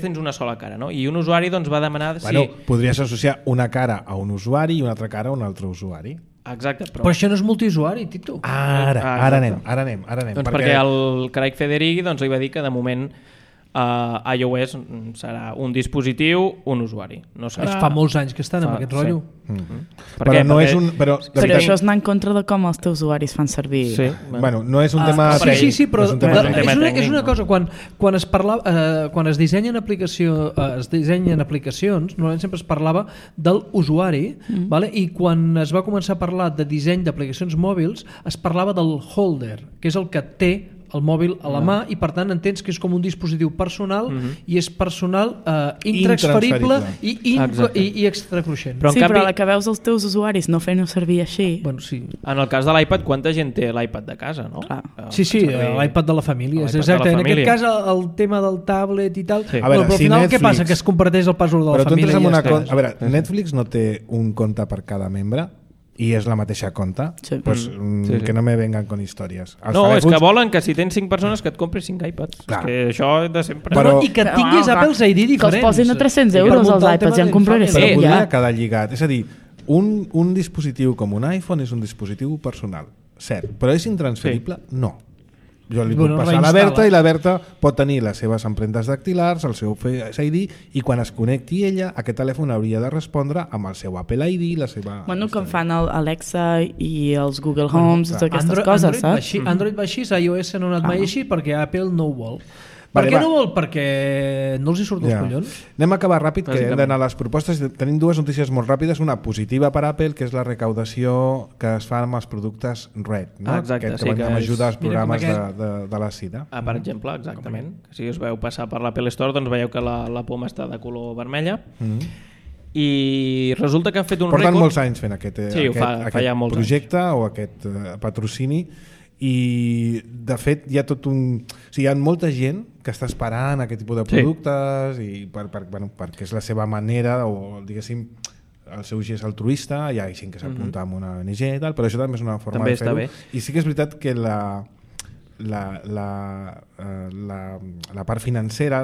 tens una sola cara, no? I un usuari doncs, va demanar... Podries associar una cara a un usuari i una altra cara a un altre usuari. Exacte, però això no és multiusuari, Tito. Ara anem. Doncs perquè el Craig Federighi li va dir que de moment iOS serà un dispositiu, un usuari. No serà... Fa molts anys que estan amb aquest rotllo. Però no és un... Però això és anar en contra de com els teus usuaris fan servir. Sí. Bueno, no és un tema... Sí, però és una cosa, quan es dissenyen aplicacions, normalment sempre es parlava de l'usuari, i quan es va començar a parlar de disseny d'aplicacions mòbils, es parlava del holder, que és el que té el mòbil a la mà i per tant entens que és com un dispositiu personal i és personal intransferible i extracruixent. Però a la que veus els teus usuaris no fent-ho servir així... En el cas de l'iPad, quanta gent té l'iPad de casa, no? Sí, l'iPad de la família. Exacte. En aquest cas el tema del tablet i tal, però al final què passa? Que es comparteix el password de la família. A veure, Netflix no té un compte per cada membre i és la mateixa compte, pues, que no me vengan con històries. És que volen que si tens 5 persones que et compris 5 iPads. És que això de sempre. I que tinguis Apple's ID diferents. Que els posin a 300 euros els iPads, ja en compraré. Però podria quedar lligat. És a dir, un dispositiu com un iPhone és un dispositiu personal, cert, però és intransferible? No. Jo li puc passar a la Berta i la Berta pot tenir les seves empremtes dactilars, el seu Face ID, i quan es connecti ella, aquest telèfon hauria de respondre amb el seu Apple ID, la seva... Bueno, com fan el Alexa i els Google Homes, aquestes coses, saps? Android va així, iOS no ha anat mai així perquè Apple no ho vol. Per què no vol? Perquè no els hi surt els collons. Anem a acabar ràpid, que hem d'anar a les propostes. Tenim dues notícies molt ràpides. Una positiva per Apple, que és la recaudació que es fa amb els productes Red, no? Exacte, que van ajudar als programes de la SIDA. Per exemple, exactament. Si us veu passar per l'Apple Store, doncs veieu que la poma està de color vermella. I resulta que han fet un rècord... Porten molts anys fent aquest projecte anys. O aquest patrocini, i de fet hi ha tot un... O sigui, hi ha molta gent que està esperant aquest tipus de productes i perquè és la seva manera, o diguéssim el seu gest altruista. Hi ha gent que s'apunta amb una ONG i tal, però això també és una forma de fer-ho. I sí que és veritat que la part financera,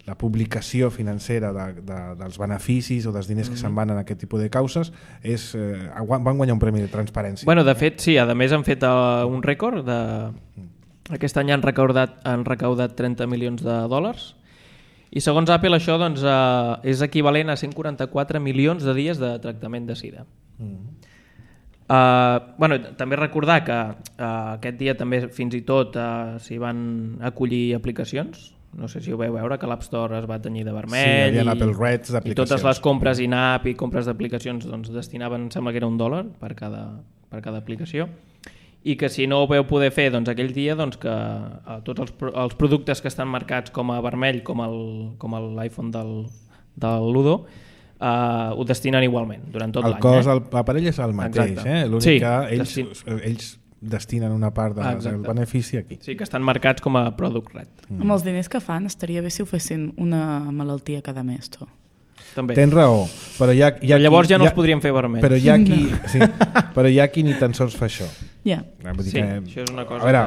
la publicació financera dels beneficis o dels diners que se'n van en aquest tipus de causes van guanyar un premi de transparència. Bueno, de fet, sí, a més han fet un rècord aquest any han recaudat 30 milions de dòlars i segons Apple això doncs, és equivalent a 144 milions de dies de tractament de sida. També recordar que aquest dia també fins i tot s'hi van acollir aplicacions. No sé si ho veu veure, que l'App Store es va tenyir de vermell. Sí, hi havia Apple Reds d'aplicacions. I totes les compres in-app i compres d'aplicacions doncs, destinaven, sembla que era $1 per cada aplicació. I que si no ho veu poder fer doncs, aquell dia, doncs, que tots els productes que estan marcats com a vermell, com l'iPhone del Ludo, ho destinen igualment durant tot l'any. L'aparell és el mateix, l'únic que ells destinen una part del benefici aquí. Sí, que estan marcats com a product red. Amb els diners que fan estaria bé si ho fessin una malaltia cada mes, tu. També. Tens raó, però llavors ja no els podríem fer vermells. Però hi ha qui ni tan sols fa això. Això és una cosa. A veure,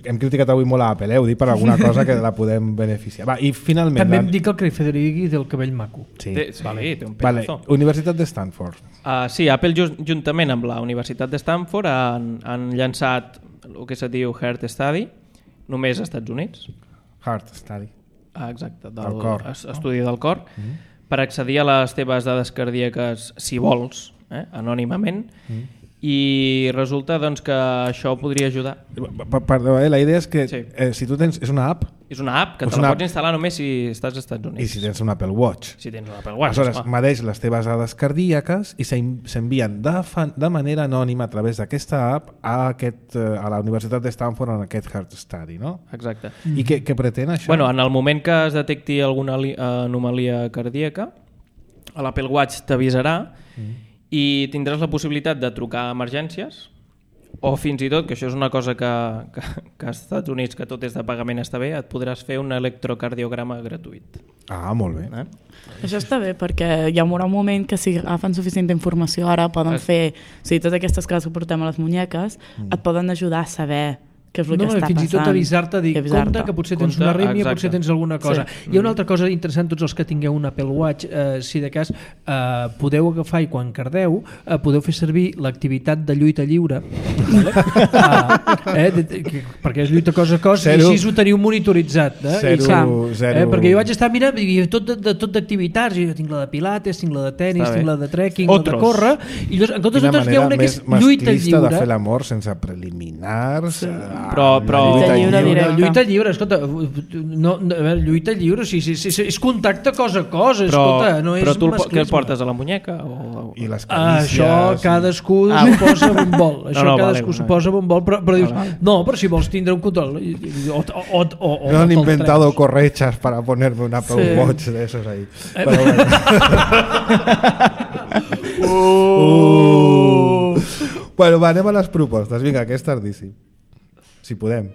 hem criticat avui molt a Apple, ho dic per alguna cosa que la podem beneficiar. Va, i finalment... També em dic el Craig Federighi del cabell maco. Sí. Té un pedazo. Universitat de Stanford. Sí, Apple juntament amb la Universitat de Stanford han llançat el que se diu Heart Study, només als Estats Units. Heart Study. Exacte, estudi del cor. Per accedir a les teves dades cardíaques, si vols, anònimament, i resulta doncs, que això podria ajudar. Perdó, la idea és que si tu tens... És una app? És una app que te la pots instal·lar només si estàs als Estats Units. I si tens un Apple Watch. Si tens un Apple Watch. Aleshores, medeix les teves dades cardíaques i s'envien de manera anònima a través d'aquesta app a la Universitat de Stanford en aquest Heart Study, no? Exacte. I què pretén això? Bueno, en el moment que es detecti alguna anomalia cardíaca, l'Apple Watch t'avisarà i tindràs la possibilitat de trucar a emergències o fins i tot, que això és una cosa que als Estats Units, que tot és de pagament està bé, et podràs fer un electrocardiograma gratuït. Ah, molt bé. Això està bé perquè hi haurà un moment que si agafen suficient informació ara poden fer, o sigui, totes aquestes coses que portem a les muñeques et poden ajudar a saber què és el que està passant. Fins i tot avisar-te, dir, compte que potser tens una arrítmia, potser tens alguna cosa. Hi ha una altra cosa interessant, tots els que tingueu un Apple Watch, si de cas podeu agafar i quan cardeu podeu fer servir l'activitat de lluita lliure, perquè és lluita cos a cos, i així ho teniu monitoritzat. Perquè jo vaig estar mirant tot d'activitats, jo tinc la de pilates, tinc la de tenis, tinc la de trekking, la de córrer, i en comptes hi ha una que és lluita lliure. De fer l'amor sense preliminars... Però lluita lliure, escolta, lluita lliure, és contacte cos a cos, escolta, no és masclisme. Però tu què el portes a la muñeca? I les carícies... Això cadascú s'ho posa a bon vol, això cadascú s'ho posa a bon vol, però dius, no, però si vols tindre un control... No han inventado correchas para ponerme un Apple Watch de esos ahí. Bueno, va, anem a les propostes, vinga, que és tardíssim. Si podem.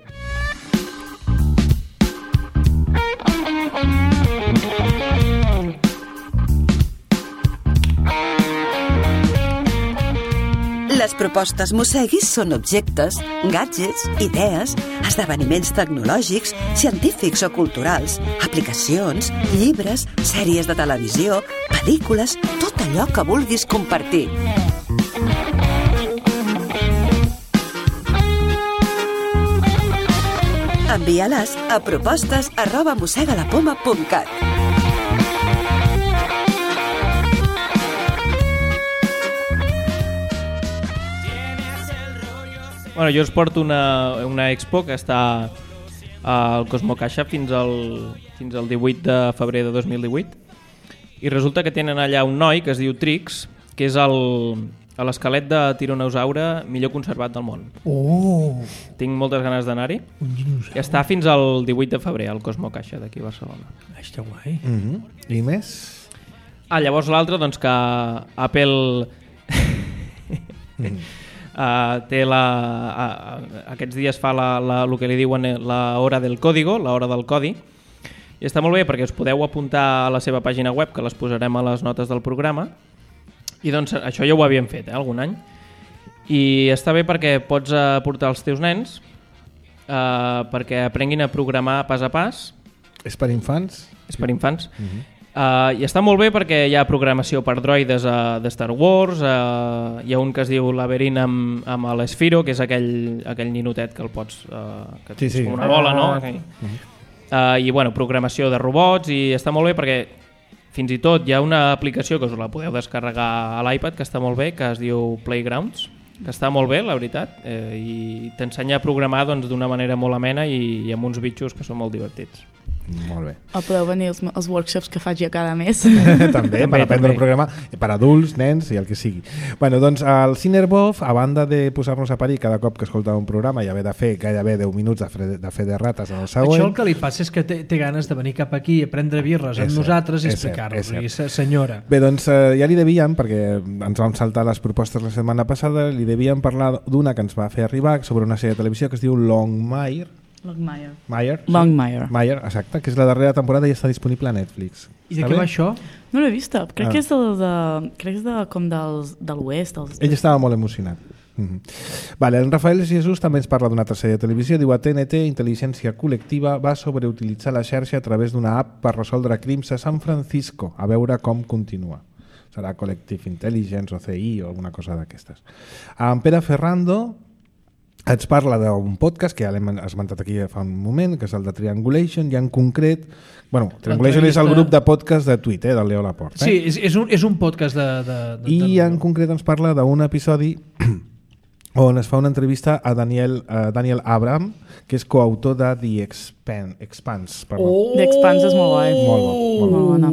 Les propostes Mosseguis són objectes, gadgets, idees, esdeveniments tecnològics, científics o culturals, aplicacions, llibres, sèries de televisió, pel·lícules, tot allò que vulguis compartir. Envia-les a propostes@mossegalapoma.cat. Bueno, jo us porto una expo que està al Cosmocaixa fins al 18 de febrer de 2018 i resulta que tenen allà un noi que es diu Trix, que és l'esquelet de tiranosaure millor conservat del món. Tinc moltes ganes d'anar-hi. I està fins al 18 de febrer al Cosmocaixa d'aquí a Barcelona. Està guai. I més? Llavors l'altre, doncs que Apple té aquests dies fa el que li diuen l'hora del código, l'hora del codi, i està molt bé perquè us podeu apuntar a la seva pàgina web, que les posarem a les notes del programa, i doncs això ja ho havíem fet algun any, i està bé perquè pots portar els teus nens perquè aprenguin a programar pas a pas. És per infants? És per infants. I està molt bé perquè hi ha programació per droides de Star Wars, hi ha un que es diu Labyrinth amb l'Esfiro, que és aquell ninotet que el pots... que és com una bola, no? I bueno, programació de robots, i està molt bé perquè fins i tot hi ha una aplicació que us la podeu descarregar a l'iPad que està molt bé, que es diu Playgrounds, que està molt bé, la veritat, i t'ensenya a programar d'una manera molt amena i amb uns bitxos que són molt divertits. Molt bé. O podeu venir als workshops que faig jo cada mes. també, per aprendre a programar per adults, nens i el que sigui. Bueno, doncs el Cinerbov, a banda de posar-nos a parir cada cop que escoltava un programa i haver de fer gairebé 10 minuts de fer de rates en el següent... Això el que li passa és que té ganes de venir cap aquí a prendre birres amb nosaltres i explicar-nos. Senyora. Bé, doncs ja li devíem, perquè ens vam saltar les propostes la setmana passada, li devíem parlar d'una que ens va fer arribar sobre una sèrie de televisió que es diu Longmire, exacte, que és la darrera temporada i està disponible a Netflix. I de què va això? No l'he vista, crec que és com de l'oest. Ell estava molt emocionat. Vale, en Rafael Jesús també ens parla d'una altra sèrie de televisió, diu: a TNT, intel·ligència col·lectiva va sobreutilitzar la xarxa a través d'una app per resoldre crims a San Francisco, a veure com continua. Serà Collective Intelligence o CI o alguna cosa d'aquestes. En Pere Ferrando ens parla d'un podcast que ja l'hem esmentat aquí fa un moment, que és el de Triangulation, i en concret... Bueno, Triangulation és el grup de podcast de Twitter, del Leo Laporte. Sí, és un podcast de... I en concret ens parla d'un episodi on es fa una entrevista a Daniel Abraham, que és coautor de The Expanse. The Expanse és molt guai. Molt bona.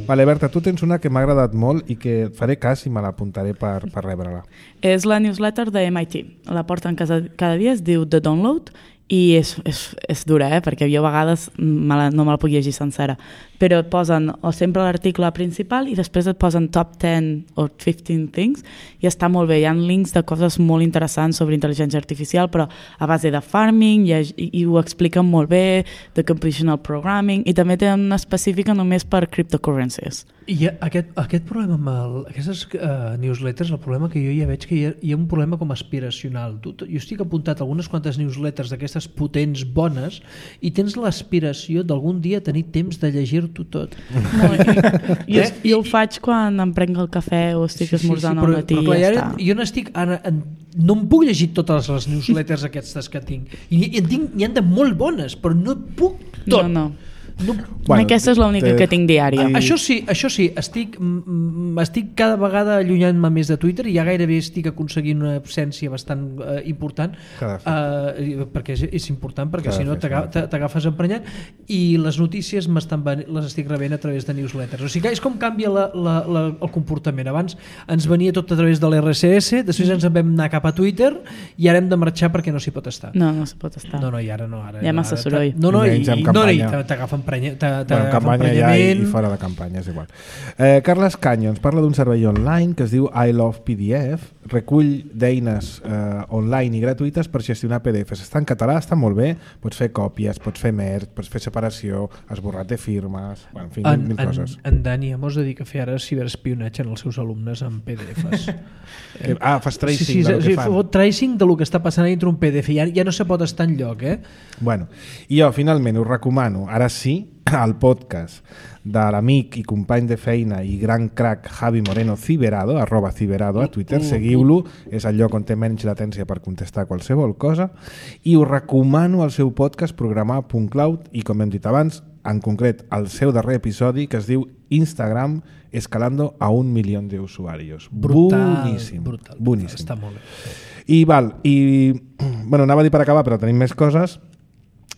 Vale, Berta, tu tens una que m'ha agradat molt i que faré cas i me l'apuntaré per rebre-la. És la newsletter de MIT. La porten cada dia, es diu The Download, i és dura, perquè jo a vegades no me la puc llegir sencera, però et posen o sempre l'article principal i després et posen top 10 o 15 things i està molt bé, hi ha links de coses molt interessants sobre intel·ligència artificial, però a base de farming i ho expliquen molt bé, de computational programming, i també tenen una específica només per cryptocurrencies. I aquest problema amb aquestes newsletters, el problema que jo ja veig que hi ha un problema com aspiracional. Jo estic apuntat a algunes quantes newsletters d'aquestes potents, bones, i tens l'aspiració d'algun dia tenir temps de llegir-t'ho tot. I ho faig quan em prenc el cafè o estic esmorzant al matí. Però clar, jo no em puc llegir totes les newsletters aquestes que tinc. I n'hi ha de molt bones, però no puc tot. No. Aquesta és l'única que tinc diària. Això sí, estic cada vegada allunyant-me més de Twitter i ja gairebé estic aconseguint una absència bastant important, perquè és important, perquè si no t'agafes emprenyat, i les notícies les estic rebent a través de newsletters. O sigui que és com canvia el comportament. Abans ens venia tot a través de l'RSS, després ens en vam anar cap a Twitter i ara hem de marxar perquè no s'hi pot estar. No s'hi pot estar. No, i ara no. Hi ha massa soroll. I t'agafen campanya ja i fora de campanya, és igual. Carles Canyo ens parla d'un servei online que es diu I Love PDF, recull d'eines online i gratuïtes per gestionar PDFs. Està en català, està molt bé, pots fer còpies, pots fer merge, pots fer separació, esborrat de firmes, en fi, mil coses. En Dani mos dedica a fer ara ciberespionatge en els seus alumnes amb PDFs. Fas tracing del que fan. Tracing del que està passant dintre un PDF, ja no se pot estar enlloc. Bueno, i jo finalment us recomano, ara sí, el podcast de l'amic i company de feina i gran crack Javi Moreno Ciberado, @Ciberado a Twitter, seguiu-lo, és el lloc on té menys latència per contestar qualsevol cosa, i us recomano el seu podcast Programar.cloud i, com hem dit abans, en concret el seu darrer episodi que es diu Instagram escalando a 1 milió d'usuaris. Boníssim. Està molt bé. I bueno, anava a dir per acabar, però tenim més coses.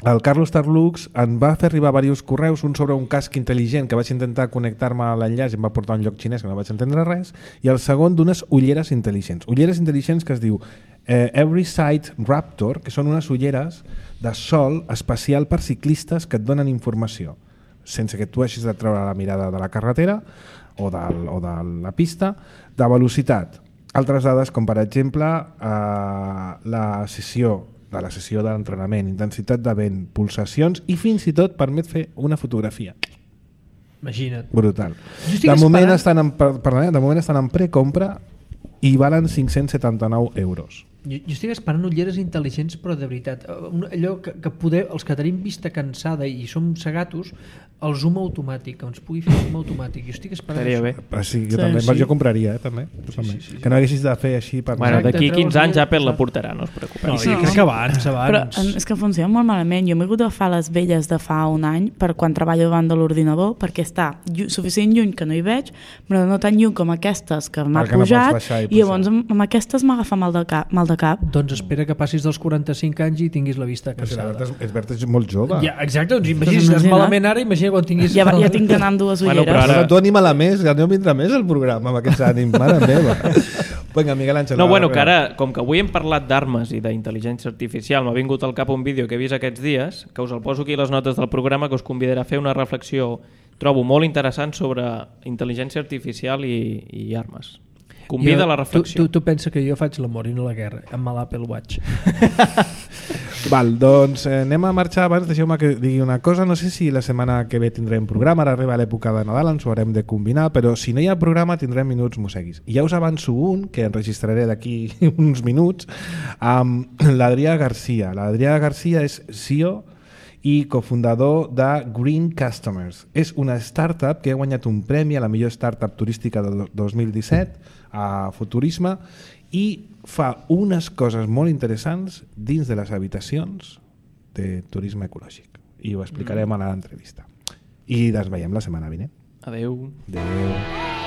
el Carlos Tarlux em va fer arribar diversos correus, un sobre un casc intel·ligent que vaig intentar connectar-me a l'enllaç i em va portar a un lloc xinès que no vaig entendre res, i el segon d'unes ulleres intel·ligents. Ulleres intel·ligents que es diu Every Sight Raptor, que són unes ulleres de sol especial per ciclistes que et donen informació, sense que tu hagis de treure la mirada de la carretera o de la pista, de velocitat. Altres dades, com per exemple la sessió d'entrenament, intensitat de vent, pulsacions i fins i tot permet fer una fotografia. Imagina't. Brutal. De moment estan en precompra i valen 579 euros. Jo estic esperant ulleres intel·ligents, però de veritat, allò que poder, els que tenim vista cansada i som cegatos, el zoom automàtic, que ens pugui fer zoom automàtic. Jo estic esperant això. Bé. Sí, jo compraria, també. Sí. Que no haguessis de fer així per... Bueno, d'aquí 15 anys Apple la portarà, no us preocupeu. No, jo crec que abans. Però és que funciona molt malament. Jo m'he hagut d'agafar les velles de fa un any per quan treballo davant de l'ordinador, perquè està suficient lluny que no hi veig, però no tan lluny com aquestes que m'ha pujat, i llavors amb aquestes m'agafa mal de cap. Doncs espera que passis dels 45 anys i tinguis la vista cansada. És molt jove. Ja, exacte, doncs imagina, si estàs malament ara, imagina quan tinguis... Ja tinc d'anar amb dues ulleres. Però ara tu anima-la més, que no vindrà més el programa amb aquests ànims, mare meva. Vinga, Miguel Àngel. No, bueno, que ara, com que avui hem parlat d'armes i d'intel·ligència artificial, m'ha vingut al cap un vídeo que he vist aquests dies, que us el poso aquí a les notes del programa, que us convidarà a fer una reflexió, trobo molt interessant, sobre intel·ligència artificial i armes. Convida a la reflexió. Tu pensa que jo faig l'amor i no la guerra amb l'Apple Watch. Val, doncs anem a marxar abans. Deixeu-me que digui una cosa. No sé si la setmana que ve tindrem programa. Ara arriba l'època de Nadal, ens ho haurem de combinar, però si no hi ha programa tindrem Minuts Moseguis. I ja us avanço un, que enregistraré d'aquí uns minuts, amb l'Adrià Garcia. L'Adrià Garcia és CEO i cofundador de Green Customers. És una startup que ha guanyat un premi a la millor startup turística de 2017 a Futurisme i fa unes coses molt interessants dins de les habitacions de turisme ecològic. I ho explicarem a l'entrevista. I ens veiem la setmana vinent. Adeu. Adeu.